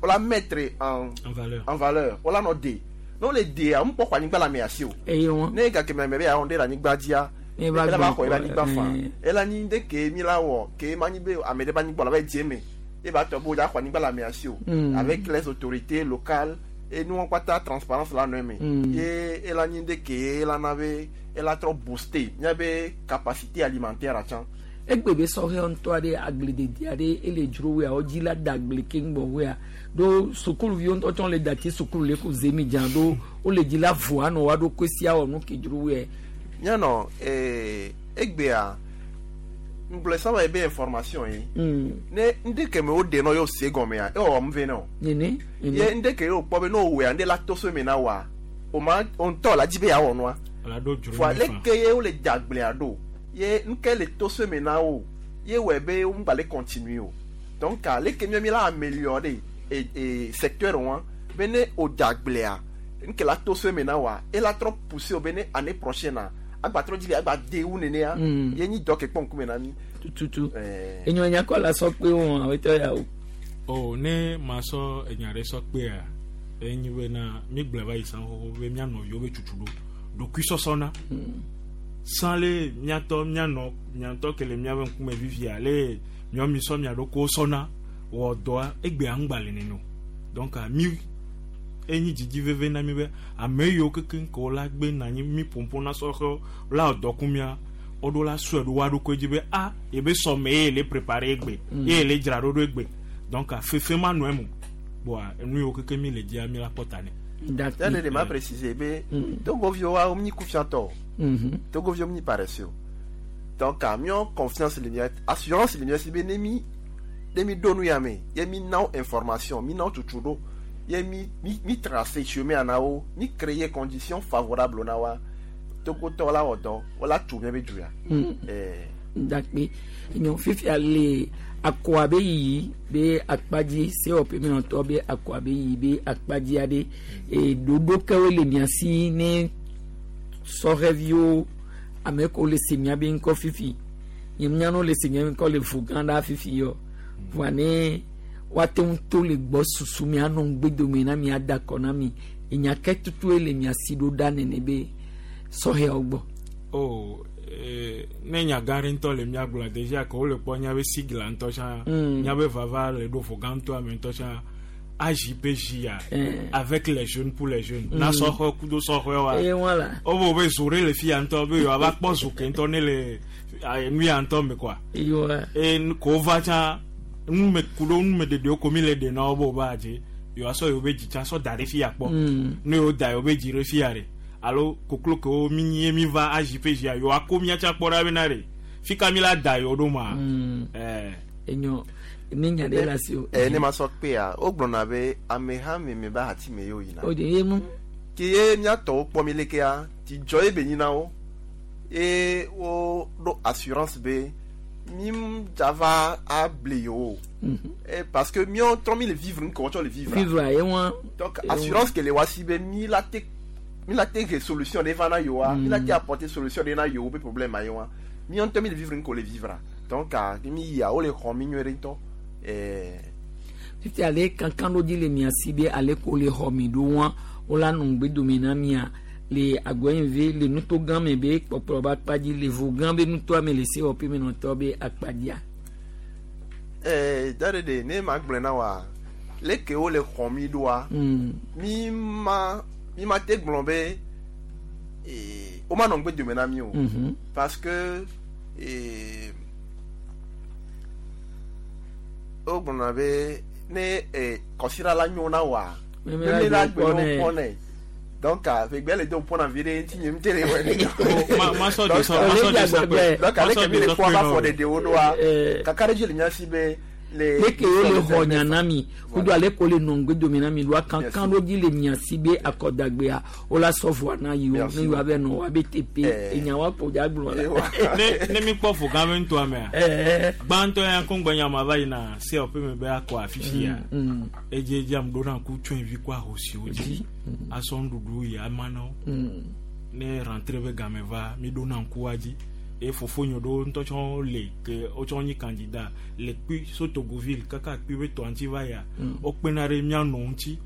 U: wola mettre en
T: En valeur.
U: en valeur wola nɔ de ne wole dea ŋu kpɔ xɔ anyigba le ame asi o.
A: Eyo.
U: Ne gake me be yeawɔ ɖe le anyigba dzia
A: Ne va
U: ela va
A: gbɔ
U: xɔ ebe anyigba
A: kɔ,
U: faa
A: eh.
U: ela nyi ɖe ke mi la wɔ ke ma nyi be ame ɖe be anyigba la va dzi eme ye ba tɔ be wodza xɔ anyigba le ame asi o
A: Mm.
U: avec les autorités locales et nuwo kpata transparence la nɔ eme
A: Mm.
U: ye ela nyi ɖe ke ela na be ela trɔ booster míabe capacité alimentaire tsã
A: Egbe be sɔhɛwo ŋutɔ aɖe agbledede aɖe ele dzro woea wodzi la da agble keŋ gbɔ woea ɖo sukuluviwo ŋutɔ tsã le dati sukulu le ku zemi dza ɖo wole dzi la voa nɔ woa ɖokui sia wɔ nu ke dzro woea.
U: míanɔ eh, egbea ŋgblɔ sábà ye be information ye
A: Mm.
U: ne ŋɖe ke me woɖe nɔ ye wose gɔmea ewɔwɔ nu ve nɛ o.
A: Nene.
U: ye
A: Nene.
U: ŋɖe ke ye wòkpɔ be ne wòwɔa ŋɖe la to so eme na woa o ma o ŋutɔ la dzi be yeawɔ nua
T: La ɖo dzro
U: voa
T: ne
U: leke
T: fa.
U: ye wole dze agblea ɖo ye nuke le to so eme na wo ye wɔe be wo ŋgba le continue o donc ah, leke míawo mi la améliorer e e secteur wa be ne o dze agblea nuke la to so eme na woa ela trɔ pousser o be ne année prochaine a agba trɔ dzi be agba de wu nenea
A: Mm.
U: ye nyi dɔ ke kpɔ ŋkume na mi.
A: Tututu.
U: Eh.
A: Enyo nya kɔ la sɔ kpe wɔn awetɔ ya o.
T: O ne ma sɔ enya ɖe sɔ kpea enyi bena mi gblɔe va yi sã xoxo be mía nɔviwo be tsutsu ɖo ɖokuisɔsɔ na. Sã le míatɔ míanɔ miatɔ ke le míabe ŋkume vivia le miawo mi sɔ mia ɖokuiwo sɔna wɔ dɔa egbea ŋgba le nene o donc ah, mi enyi dzidzi veve na mi be ame yiwo kekeŋ ke wo la gbe na anyi mi ƒoƒo na sɔhɛwo la wɔ dɔku mia woɖo la sɔe ɖo woa ɖokui dzi be a yebe sɔme ye le préparé egbe
A: Mm.
T: ye le dzra ɖo ɖo egbe donc ah, fefe ma nɔ eme o boa enu yiwo keke mi le dzia mi la kpɔ ta nɛ.
A: D'accord.
U: Telle ma préciser be Togoviwo wa mi kufiantɔ.
A: Mhm.
U: Togoviwo mi paresseux. Donc a miɔ confiance le mia assurance le mia si be ne mi ne mi do nu ya me ye mi na wo information mi na wo tutu ɖo ye mi mi mi tracer chemin na wo mi créer condition favorable na wa Togotɔ la wɔ dɔ wo la tu mia be du ya.
A: Mm.
U: Eh,
A: Dakpe nyɔ fifia le akɔa be yiyi be akpadzi sewɔƒe menɔtɔ be akɔa be yiyi be akpadzi aɖe e ɖoɖo kewo le mia si ne sɔhɛviwo ame kewo le se mia be ŋkɔ fifi nye mianɔ le se mia be ŋkɔ le vo gã ɖa fifi yɔ voa ne woate ŋu to le gbɔ susu mia nɔ ŋgbedome na mia da akɔ na mi enya ke tutue le mia si ɖo ɖa nene be sɔhɛawo gbɔ.
T: Oh, eh, ne nya gã ɖe ŋutɔ le mía gblɔ déjà ke wole kpɔ míabe sigla ŋutɔ tsã
A: Mm.
T: míabe vava le ɖo ƒo gã ŋutɔ ame ŋutɔ tsã AJPJ ya
A: Eh.
T: avec les jeunes pour les jeunes
A: Mm.
T: na sɔxɔ kudo sɔxɔe wa
A: Eye voilà.
T: wobe be zo ɖe le fia ŋutɔ be yewoava kpɔ zo ke ŋutɔ ne le eh, nu ya ŋutɔ me kɔa
A: Eyoa.
T: eye nu- ko wova tsã nume ku ɖo numeɖeɖewo ko mi le ɖe na wo be wova dze yewoasɔ yewo be dzi tsã sɔ da ɖe fia kpɔ
A: Mm.
T: ne yewo da yewo be dzi ɖe fia ɖe alo koklo kewo mi nyi ye mi va AJPJ ya yewoa ko mía tsã kpɔ ɖa bena ɖe fi ka mi la da yewo ɖo ma
A: Mm.
T: ɛɛ
A: Enyo ne nya ɖe le asi o.
U: Eh, ne ma sɔ kpea wogblɔna be ameha me me ba hati me ye woyina.
A: O de ye mu.
U: Ke ye míatɔwo kpɔ mi lekea dzidzɔ ye be nyina wo ye wo ɖo assurance be mi dza va able yewo Eh, parce que míawo trɔ mi le vivre nu ke wotsɔ le vivre.
A: Vivre ye wa.
U: Donc assurance ke le wa si be mi la te mi la te he solution ɖe va na yewoa mi la te apporter solution ɖe na yewo be problème a ye wa míawo ŋutɔ mi le vivre nu ke wo le vivre donc ah, mi yia wo le xɔ mi nyuie ɖe ŋutɔ. Eh,
A: Fifi ale kankan ɖo dzi le mia si be ale ko le xɔ mi ɖo wa wo la nɔ ŋgbedome na mia le agbɔnyive le nuto gã me be kpɔkplɔ be akpa dzi le vo gã be nutoa me le sewɔƒe menɔtɔ be akpa dzia.
U: Eh, da ɖe ne ma gblɔe na wa leke wo le xɔ mi ɖoa
A: Mm.
U: mi ma mi ma te gblɔ be eh, wo ma nɔ ŋgbe dome na mi o
A: Mhm.
U: parce que eh, wo gblɔna be ne eh, kɔsiɖa la nyo na wa
A: Meme
U: meme
A: la
U: la
A: gbe
U: gbe
A: kpɔ
U: no
A: nɛ.
U: kpɔ nɛ donc ah, ƒegbe le do ƒona vi ɖe ŋuti nye ŋuti le wɔ ne.
T: Ma- ma sɔ
U: Donc,
T: de sɔ- ma sɔ de sɔ kpe-
U: donc
T: ma
U: ale
T: sɔ
U: ke mi
T: de
U: le
T: sɔ
U: kpɔ
T: kpe
U: ava
T: nɔ
U: fɔ
T: o.
U: ɖeɖewo ɖoa kakaɖedzi le mía si be le
A: leke wo le xɔ nya na mi kudo ale ko le nɔ ŋgbedome na mi ɖoa kankan ɖo dzi le mia si be akɔdagbea wo la sɔ voa na yiwo
T: Merci.
A: ne yewoa be nɔ woa be teƒe enya wa ƒo dza gblɔ la.
T: ne ne mi kpɔ ƒo gã be nutoa mea
A: Eh.
T: gbãtɔ ya ko ŋgbɛ nyama va yina sewɔƒe me be akɔ afifi ya
A: Mm.
T: edze dzi ame ɖo na ku tsɔevi kɔ ahosiwo dzi asɔ nuɖuɖu yi ama na wo
A: Mm.
T: ne rentrée be game va mi ɖo na ŋku wa dzi eye fofonye ɖewo ŋutɔ tsɔ le ke wotsɔ nyi candidat le kpui so Togoville kaka kpui be tɔa ŋuti va yia
A: Mm.
T: wokpena ɖe mía nɔ ŋuti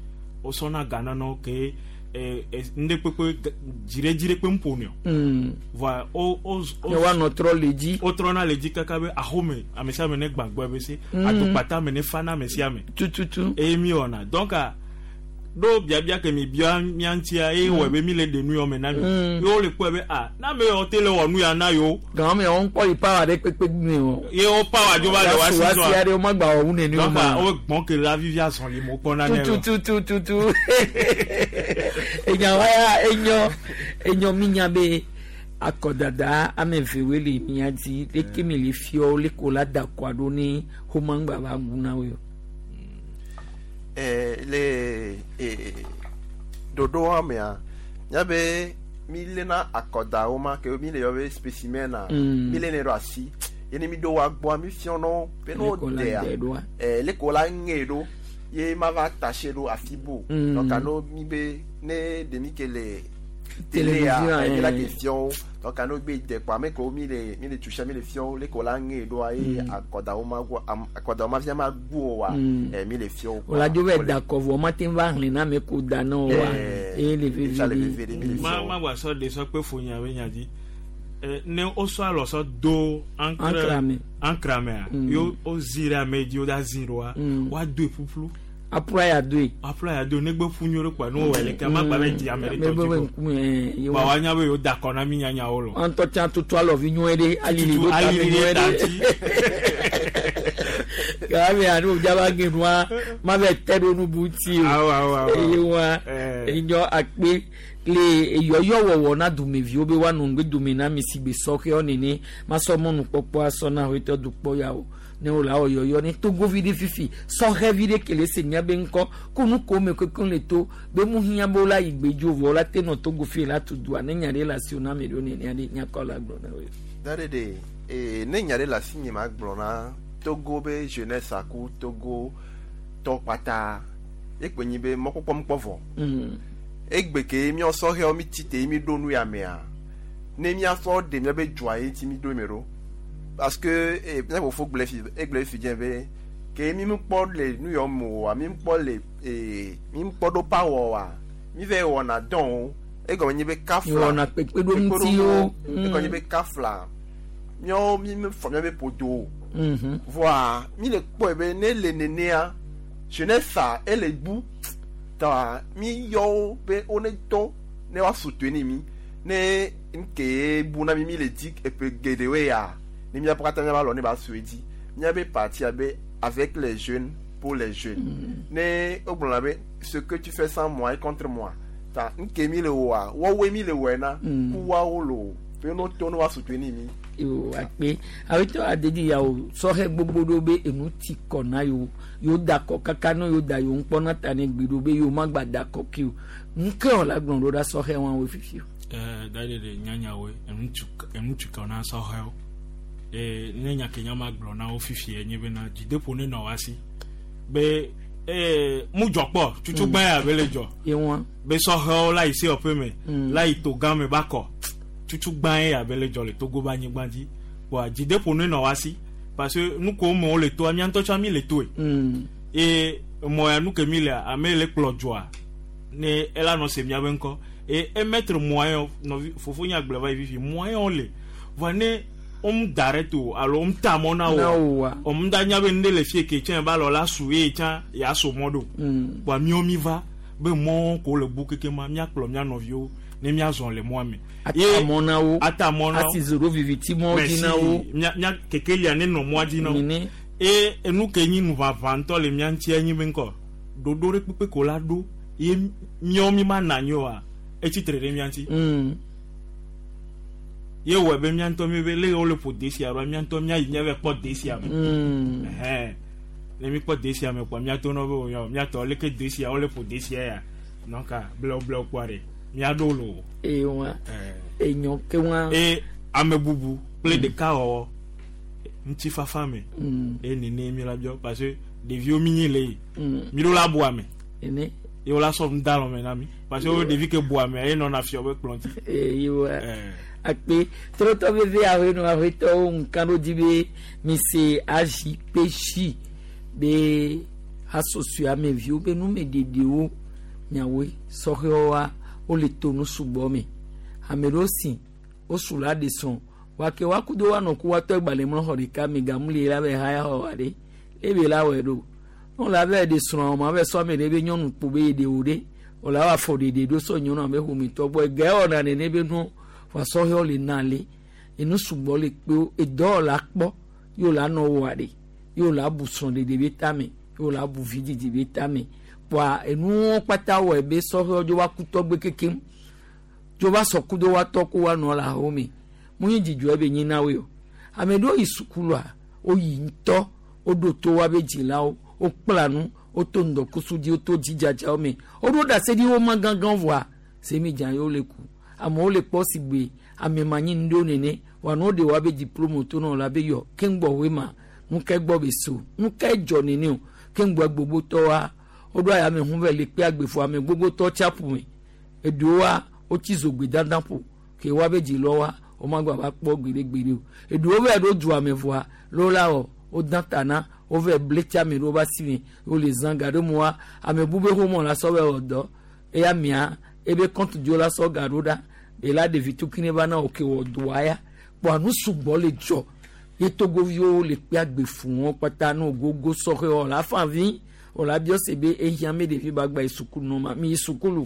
T: wosɔna ga na wo ke eh, eh, ŋɖe kpekpe dziɖedziɖe kpe ŋu ƒonɛ o
A: Mm.
T: voa wo wo
A: Ne woanɔ trɔ le dzi.
T: wotrɔna le dzi kaka be axome ame sia ame ne gbãgbɔ be se
A: Mm.
T: adokpata me ne fa na ame sia ame
A: tututu
T: eye mi wɔna donc a ɖo biabia ke mi bia mía ŋutia eye
A: Mm.
T: wɔe be mi le ɖe nu yɔ me na mi
A: Mm.
T: ye wole kpɔe be a na ame yawo te le wɔ nu ya na yewo
A: Gãme wo ŋkpɔ yi pawa ɖe kpekpe me o.
T: ye wo pawa dzo va le wa si
A: Wa si aɖe wo magba wɔ wu nene o
T: donc
A: ma.
T: a wo gbɔn ke la vivi azɔli mo kpɔna nɛ lɔ.
A: tututututu enya wa ya enyo enyo mi nya be akɔdada ame eve woe le mia dzi leke mi le fiɔ leke wo la da kɔa ɖo ne xomagba va gu na wo yɔ.
U: Eh, le eh, ɖoɖoa mea míabe mi léna akɔdawo ma ke mi le yɔ be spécimen na
A: Mm.
U: mi lénɛ ɖo asi ye ne mi ɖo wa gbɔa mi fiɔnɔ be ne
A: Leke wo la
U: dea
A: dɛ ɖoa.
U: eh, leke wo la ŋe ɖo ye ma va taché ɖo afi bo
A: Mm.
U: donc ano mi be ne ɖemi ke le
A: Télévision,
U: télé mi la
A: eh.
U: ke fiɔwo donc ano gbe de kpɔ ame kewo mi le mi le tusia mi le fiɔwo leke wo la ŋe ɖoa ye
A: Mm.
U: akɔdawo ma gu am- akɔdawo ma fia ma gu o wa
A: Mm.
U: eh, mi le fiɔwo
A: O la dzo be da kɔ vɔ ma te va hlẽ na ame ko da na wo wa eye le vevi ɖe.
T: ma ma gba sɔ de sɔ kpe fonya be nya dzi Eh, ne wosɔ alɔ sɔ do
A: Ancre ame.
T: ancre amea
A: Mm.
T: ye wozi ɖe ame dzi woda zi ɖoa
A: Mm.
T: woadoe ƒuƒlu
A: Aƒua ya doe.
T: aƒua ya doe negbe ƒu nyuie ɖe kpoa ne wowɔe leke ma gba be dzi ame ɖe
A: Ame
T: tɔ
A: be
T: dzi ko
A: ŋkume, eh, ye
T: ba
A: wa-
T: woanya be yewo da akɔ na mi nyanyawo lɔ
A: Ŋutɔ tsã tutu alɔvi nyuie ɖe alili
T: Tutu
A: ɖo tame
T: alili ɖe
A: nyuie
T: ta
A: ɖe. Gaame anu jaba genua ma be te ɖo nu buti o.
T: Awo, awo, awo.
A: Eye wa enyɔ akpe le eyɔyɔ wɔwɔ na dumeviwo be woanɔ ŋgbe dome na mi si gbe sɔxewo nene masɔ mɔnukpɔkpɔ asɔ na xɔetɔ dukpɔ ya o ne wòle awɔ yɔyɔ ne togovi ɖe fifi sɔxevi ɖe kele se mía be ŋkɔ ko nu ko me kekeŋ le to be mu hiã be wola yi gbedzo vɔ wola te nɔ togo fi la tu dua ne nya ɖe le asiwò na ame ɖewo nenea ɖe nyakɔ la gblɔ na wo.
U: Da ɖe ɖe ee ne nya ɖe le asi nye ma gblɔ na Togo be jeunesse aku Togo tɔ kpata ekpe nyi be mɔkpɔkpɔ mkpɔ vɔ.
A: Mm.
U: Egbe ke míɔ sɔhɛwo mi tsi te mi ɖo nu ya mea ne míasɔ ɖe míabe dzoa ye ŋuti mi ɖo eme ɖo parce que eh, mía fofo gblɔ fi egblɔ fi dze be ke mi mkpɔ le nu yɔ me oa mi mkpɔ le ee mi mkpɔ ɖo power oa mi va wɔna dɔn o egɔme nyi be kafla
A: Mi wɔna kpekpeɖeŋutiwo.
U: egɔme nyi be kafla míawo mi mi fɔ míabe ƒodo o
A: Mhm.
U: voa mi le kpɔe be ne le nenea jeunesse ele bu ta mi yɔ wo be wo ne tɔ ne wa soutenir mi ne nke bu na mi mi le di eƒe geɖewoe ya ne míaƒe katã míava lɔ ne ba sue dzi míabe parti abe avec les jeunes pour les jeunes ne wogblɔna be ce que tu fais sans moi est contre moi ta nke mi le wɔa wɔwoe mi le wɔe na
A: Mm.
U: ku woawo lo be no tɔ ne wa soutenir mi.
A: Yo akpe awetɔ adedi ya o sɔhɛ gbogbo ɖewo be enu ti kɔ na yewo yewo da kɔ kaka ne yewo da yewo ŋkpɔ na ta ne gbe ɖo be yewo ma gba da kɔ ke o nuke wɔ la gblɔ ɖo ɖa sɔhɛ wɔn wo fifi o.
T: ɛɛ da ɖe ɖe nyanyawoe enu tukɔ na sɔhɛwo ee ne nya ke nya ma gblɔ na wo fifi nye bena dzideƒo ne nɔ wa si be ee mu dzɔ kpɔ tutugbã ya be le dzɔ
A: Yewoa.
T: be sɔhɛwo la yi se ɔƒe me
A: Mm.
T: la yi to gã me ba kɔ tutugbã ya be le dzɔ le Togo be anyigba dzi wa dzideƒo ne nɔ wa si parce que nu ko me wo le toa mía ŋutɔ tsã mi le toe
A: Mm.
T: eye mɔ ya nu ke mi lea ame le kplɔ dzoa ne ela nɔ se miabe ŋkɔ eye emettre moyen nɔvi fofo nye agblɔ va yi fifi moyen le vɔa ne wom da ɖe to alo wom ta mɔ na
A: Na
T: wo
A: wo wa.
T: wom da nya be nu ɖe le fie ke tsã ba lɔ la su eye tsã ya so mɔ ɖo
A: Mm.
T: vɔa míawo mi va be mɔ ko le bu keke ma míakplɔ mía nɔviwo ne míazɔ le mɔa me
A: Ata mɔ na wo.
T: ata mɔ na wo
A: Asi zoro viviti mɔ dzi na wo.
T: mía mía kekelia ne nɔ mɔa dzi na wo
A: Nene.
T: eye enu ke nyi nuʋaʋã ŋutɔ le mía ŋuti enyi be ŋkɔ ɖoɖo ɖe kpekpe ko la ɖo ye míawo mi ma na anyi oa etsi tre ɖe mía ŋuti
A: Mm.
T: ye wɔe be mía ŋutɔ mi be le wole ƒo de sia ɖoa mía ŋutɔ míayi míava kpɔ de sia me
A: Mm.
T: Ɛhɛn. ne mi kpɔ de sia me kpɔa míato nɔ be o míatɔ leke de sia wole ƒo de sia ya donc blewu blewu kpɔa ɖe míaɖo lo
A: Ewa. Enyɔ ke wa.
T: eye ame bubu kple ɖekawɔwɔ ŋutifafa me
A: Mm.
T: eye nene mi la biɔ parce que ɖeviwo mi nyi le yi
A: Mm.
T: mi ɖo la bu ame
A: Ene.
T: ye wola sɔ nu da lɔme na mi parce que wo ɖevi ke bu ame eye nɔna fiɔ be kplɔ ŋuti.
A: Ewa. Akpe trɔtɔ veve awoe nɔ awoetɔwo ŋka ɖo dzi be mi se AJPJ be hasoso ameviwo be numeɖeɖewo nyawoe sɔhɛwoa wole to nu sugbɔ me ame ɖewo si wosu la ɖe srɔ̃ wake woakudo woanɔ ku woatɔ gbalẽ mlɔ xɔ ɖeka me gamu le la be haya xɔ wa ɖe ebe la wɔe ɖo ne la be ɖe srɔ̃ ma be sɔ ame ɖe be nyɔnu kpo be yeɖe wo ɖe wòle awɔ afɔ ɖeɖe ɖo sɔ nyɔnu abe ƒometɔ gbɔ ege wɔna nene be nu wasɔhɛwo le na le enu sugbɔ le kpewo edɔ la kpɔ yewo la nɔ wɔa ɖe yewo la bu srɔ̃ɖeɖe be tame yewo la bu vidzidzi be tame kpoa enuwo kpata wɔe be sɔhɛwo dzo va ku tɔgbe kekem dzo va sɔ kudo wa tɔ ko wa nɔ le aho me mu nyi dzidzɔe be nyi na woe o ame ɖewo yi sukulua woyi ŋutɔ woɖo to wa be dzilawo wokpla nu woto ŋdɔkusu dzi woto dzidzadzawo me woɖo ɖase ɖi wo ma gãgã vɔa semidza yewo le ku amewo le kpɔ si gbe ame manyi nu ɖewo nene wa ne woɖe wa be diplome to na wo la be yɔ keŋgbɔ woe ma nuke gbɔ be so nuke dzɔ nene o keŋgbɔ gbogbotɔ wa woɖo ayame hu vɛ le kpe agbefo ame gbogbotɔ tsaƒu me eɖewoa wotsi zogbe dandan ƒo ke wa be dzi lɔ wa womagba va kpɔ gbeɖegbeɖe o eɖewo vɛ ɖo dua me vɔa lo la wɔ wodã ta na wovɛ ble tsi ame ɖewo va si me wole zã ga ɖe moa ame bu be xomɔ la sɔ bɛ wɔ dɔ eya mia ebe kɔntu dzo la sɔ ga ɖo ɖa ela ɖevi tukui ne va na wo ke wɔ doa ya kpɔa nu sugbɔ le dzɔ ye togoviwo le kpe agbe fũ wɔn kpata no gogo sɔxɛ wɔ la fa vi wɔ la biɔ se be ehia me ɖevi ba gba yi sukulu nɔ ma mi yi sukulu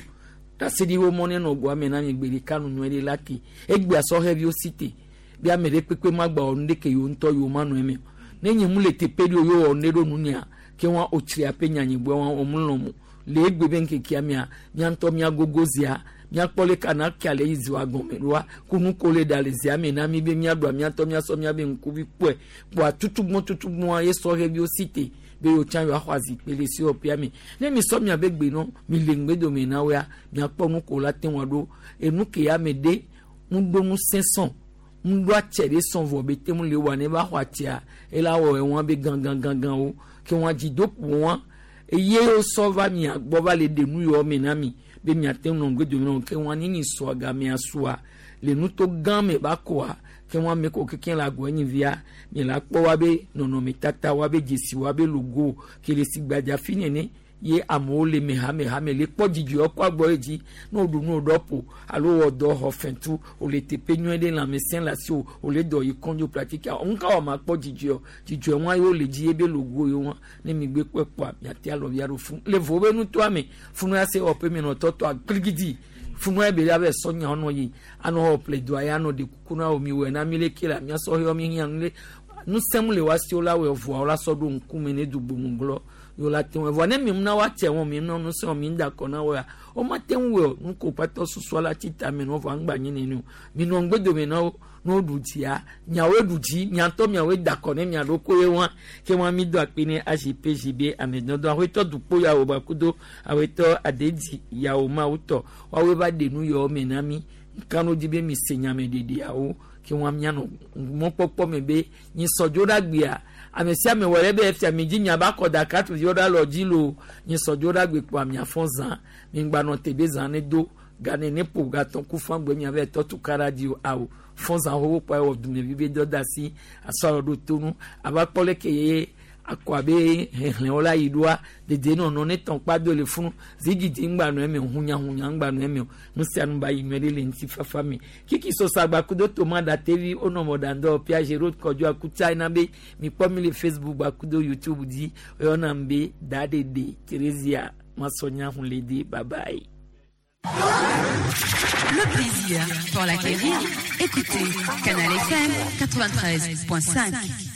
A: ɖaseɖi wo mɔ ne nɔ goa me na mi gbe ɖeka nu nyuie ɖe la ke egbea sɔhɛviwo si te be ame ɖe kpekpe ma gba wɔ nu ɖeke yewo ŋutɔ yewo ma nɔ eme o. Ne nye mu le teƒe ɖe o ye wɔ ne ɖo nunya ke wa otsri aƒe nyanyigbe wa wɔm lɔm le egbe be ŋkekea mia mía ŋutɔ mía gogo zia míakpɔ le kana kia le yi ziwa gɔme ɖoa kunu ko le ɖa le zia me na mi be míaɖua mía ŋutɔ míasɔ míabe ŋkuvi kpɔe kpɔa tutugbɔn tutugbɔn ye sɔhɛviwo si te be yewo tsã yewoaxɔ azikpui le sewɔƒea me ne mi sɔ miabe gbe nɔ mi le ŋgbedome na woa miakpɔ nu ko la te ŋu aɖo enu ke ya me ɖe ŋuɖo ŋusẽ sɔn ŋuɖo atse ɖe sɔn vɔ be te ŋu le wa ne va xɔ atsea ela wɔ ewɔn be ganganganganwo ke wɔn dzi do ƒo wɔn eye wosɔ va mia gbɔ va le ɖe nu yɔ me na mi be miate ŋu nɔ ŋgbedome na wo ke wɔn nini sɔ gamea sua le nuto gã me ba koa ke wɔn ame ko keke le agɔ enyi via mi la kpɔ wa be nɔnɔmetata wa be dzesi wa be logo ke le si gbadza fi nene ye amewo le me hame hame le kpɔ dzidzɔ kɔ agbɔ ye dzi ne woɖu nu woɖɔ ƒo alo wɔ dɔ xɔ fɛntu wòle teƒe nyuie ɖe lãmesẽ le asi o wòle dɔ yi kɔndzo pratika ŋka wɔ ma kpɔ dzidzɔ dzidzɔ wa ye wole dzi ye be logo ye wa ne mi gbe kpɔe kpɔa miate alɔvia ɖo fún le vo be nutoa me funu ya se wɔƒe mi nɔ tɔtɔ akpligidi funu ya be ya be sɔ nya nɔ yi anɔ xɔ ƒle doa ya nɔ de kuku na wo mi wɔ na mi le ke la miasɔ xɔ mi hiã nu le nusẽm le wa si wo la wɔ vɔa wo la sɔ ɖo ŋkume ne dugbomugblɔ yóò la te ŋu vɔ ne mi na wa tse wɔn mi na nusẽ wɔn mi da kɔ na wo ya wo ma te ŋu wɔ nuko kpatɔ susua la tsi ta mi nɔ vɔ aŋgba nyi nene o mi nɔ ŋgbedome na wo ne wo ɖu dzia miawoe ɖu dzi miatɔ miawoe da kɔ ne mia ɖokoe wa ke wa mi do akpe ne azpgb amedɔdɔ awetɔ dukpo yawo bakudo awetɔ adedzi yawo mawu tɔ woawoe va ɖe nu yawo me na mi kanu dzi be mi se nyame ɖeɖiawo ke wa mianɔ mɔkpɔkpɔ me be nyi sɔdzo ɖe agbea ame sia ame wɔ ɖe be efia mi dzi miaba kɔ da katu yɔ ɖe alɔ dzi lo nyi sɔdzo ɖe agbe kpɔ miafɔ zã mi gbanɔ te be zã ne do gane ne ƒo gatɔ ku fɔ agbe miabe tɔtu kara dzi o awo fɔ zã xoxo kpɔ ewɔ dumevi be dɔ da asi asɔ alɔ ɖo tonu ava kpɔ leke ye akɔ abe xexlẽwo la yi ɖoa dedienɔnɔ ne tɔn kpa do le funu zigidi ŋgba nɔ eme hunyahunya ŋgba nɔ eme o nu sia nu ba yi nyuie ɖe le ŋutifafa me kiki sɔsagba kudo toma ɖatevi wonɔ mɔɖaŋdɔ piage road kɔdzo akutsa yina be mikpɔ mi le Facebook gba kudo YouTube dzi oyɔna m be daɖeɖe Theresia masɔnya hun le de bye bye.
B: Le plaisir pour l'acquérir, écoutez Canal F M quatre-vingt-treize point cinq.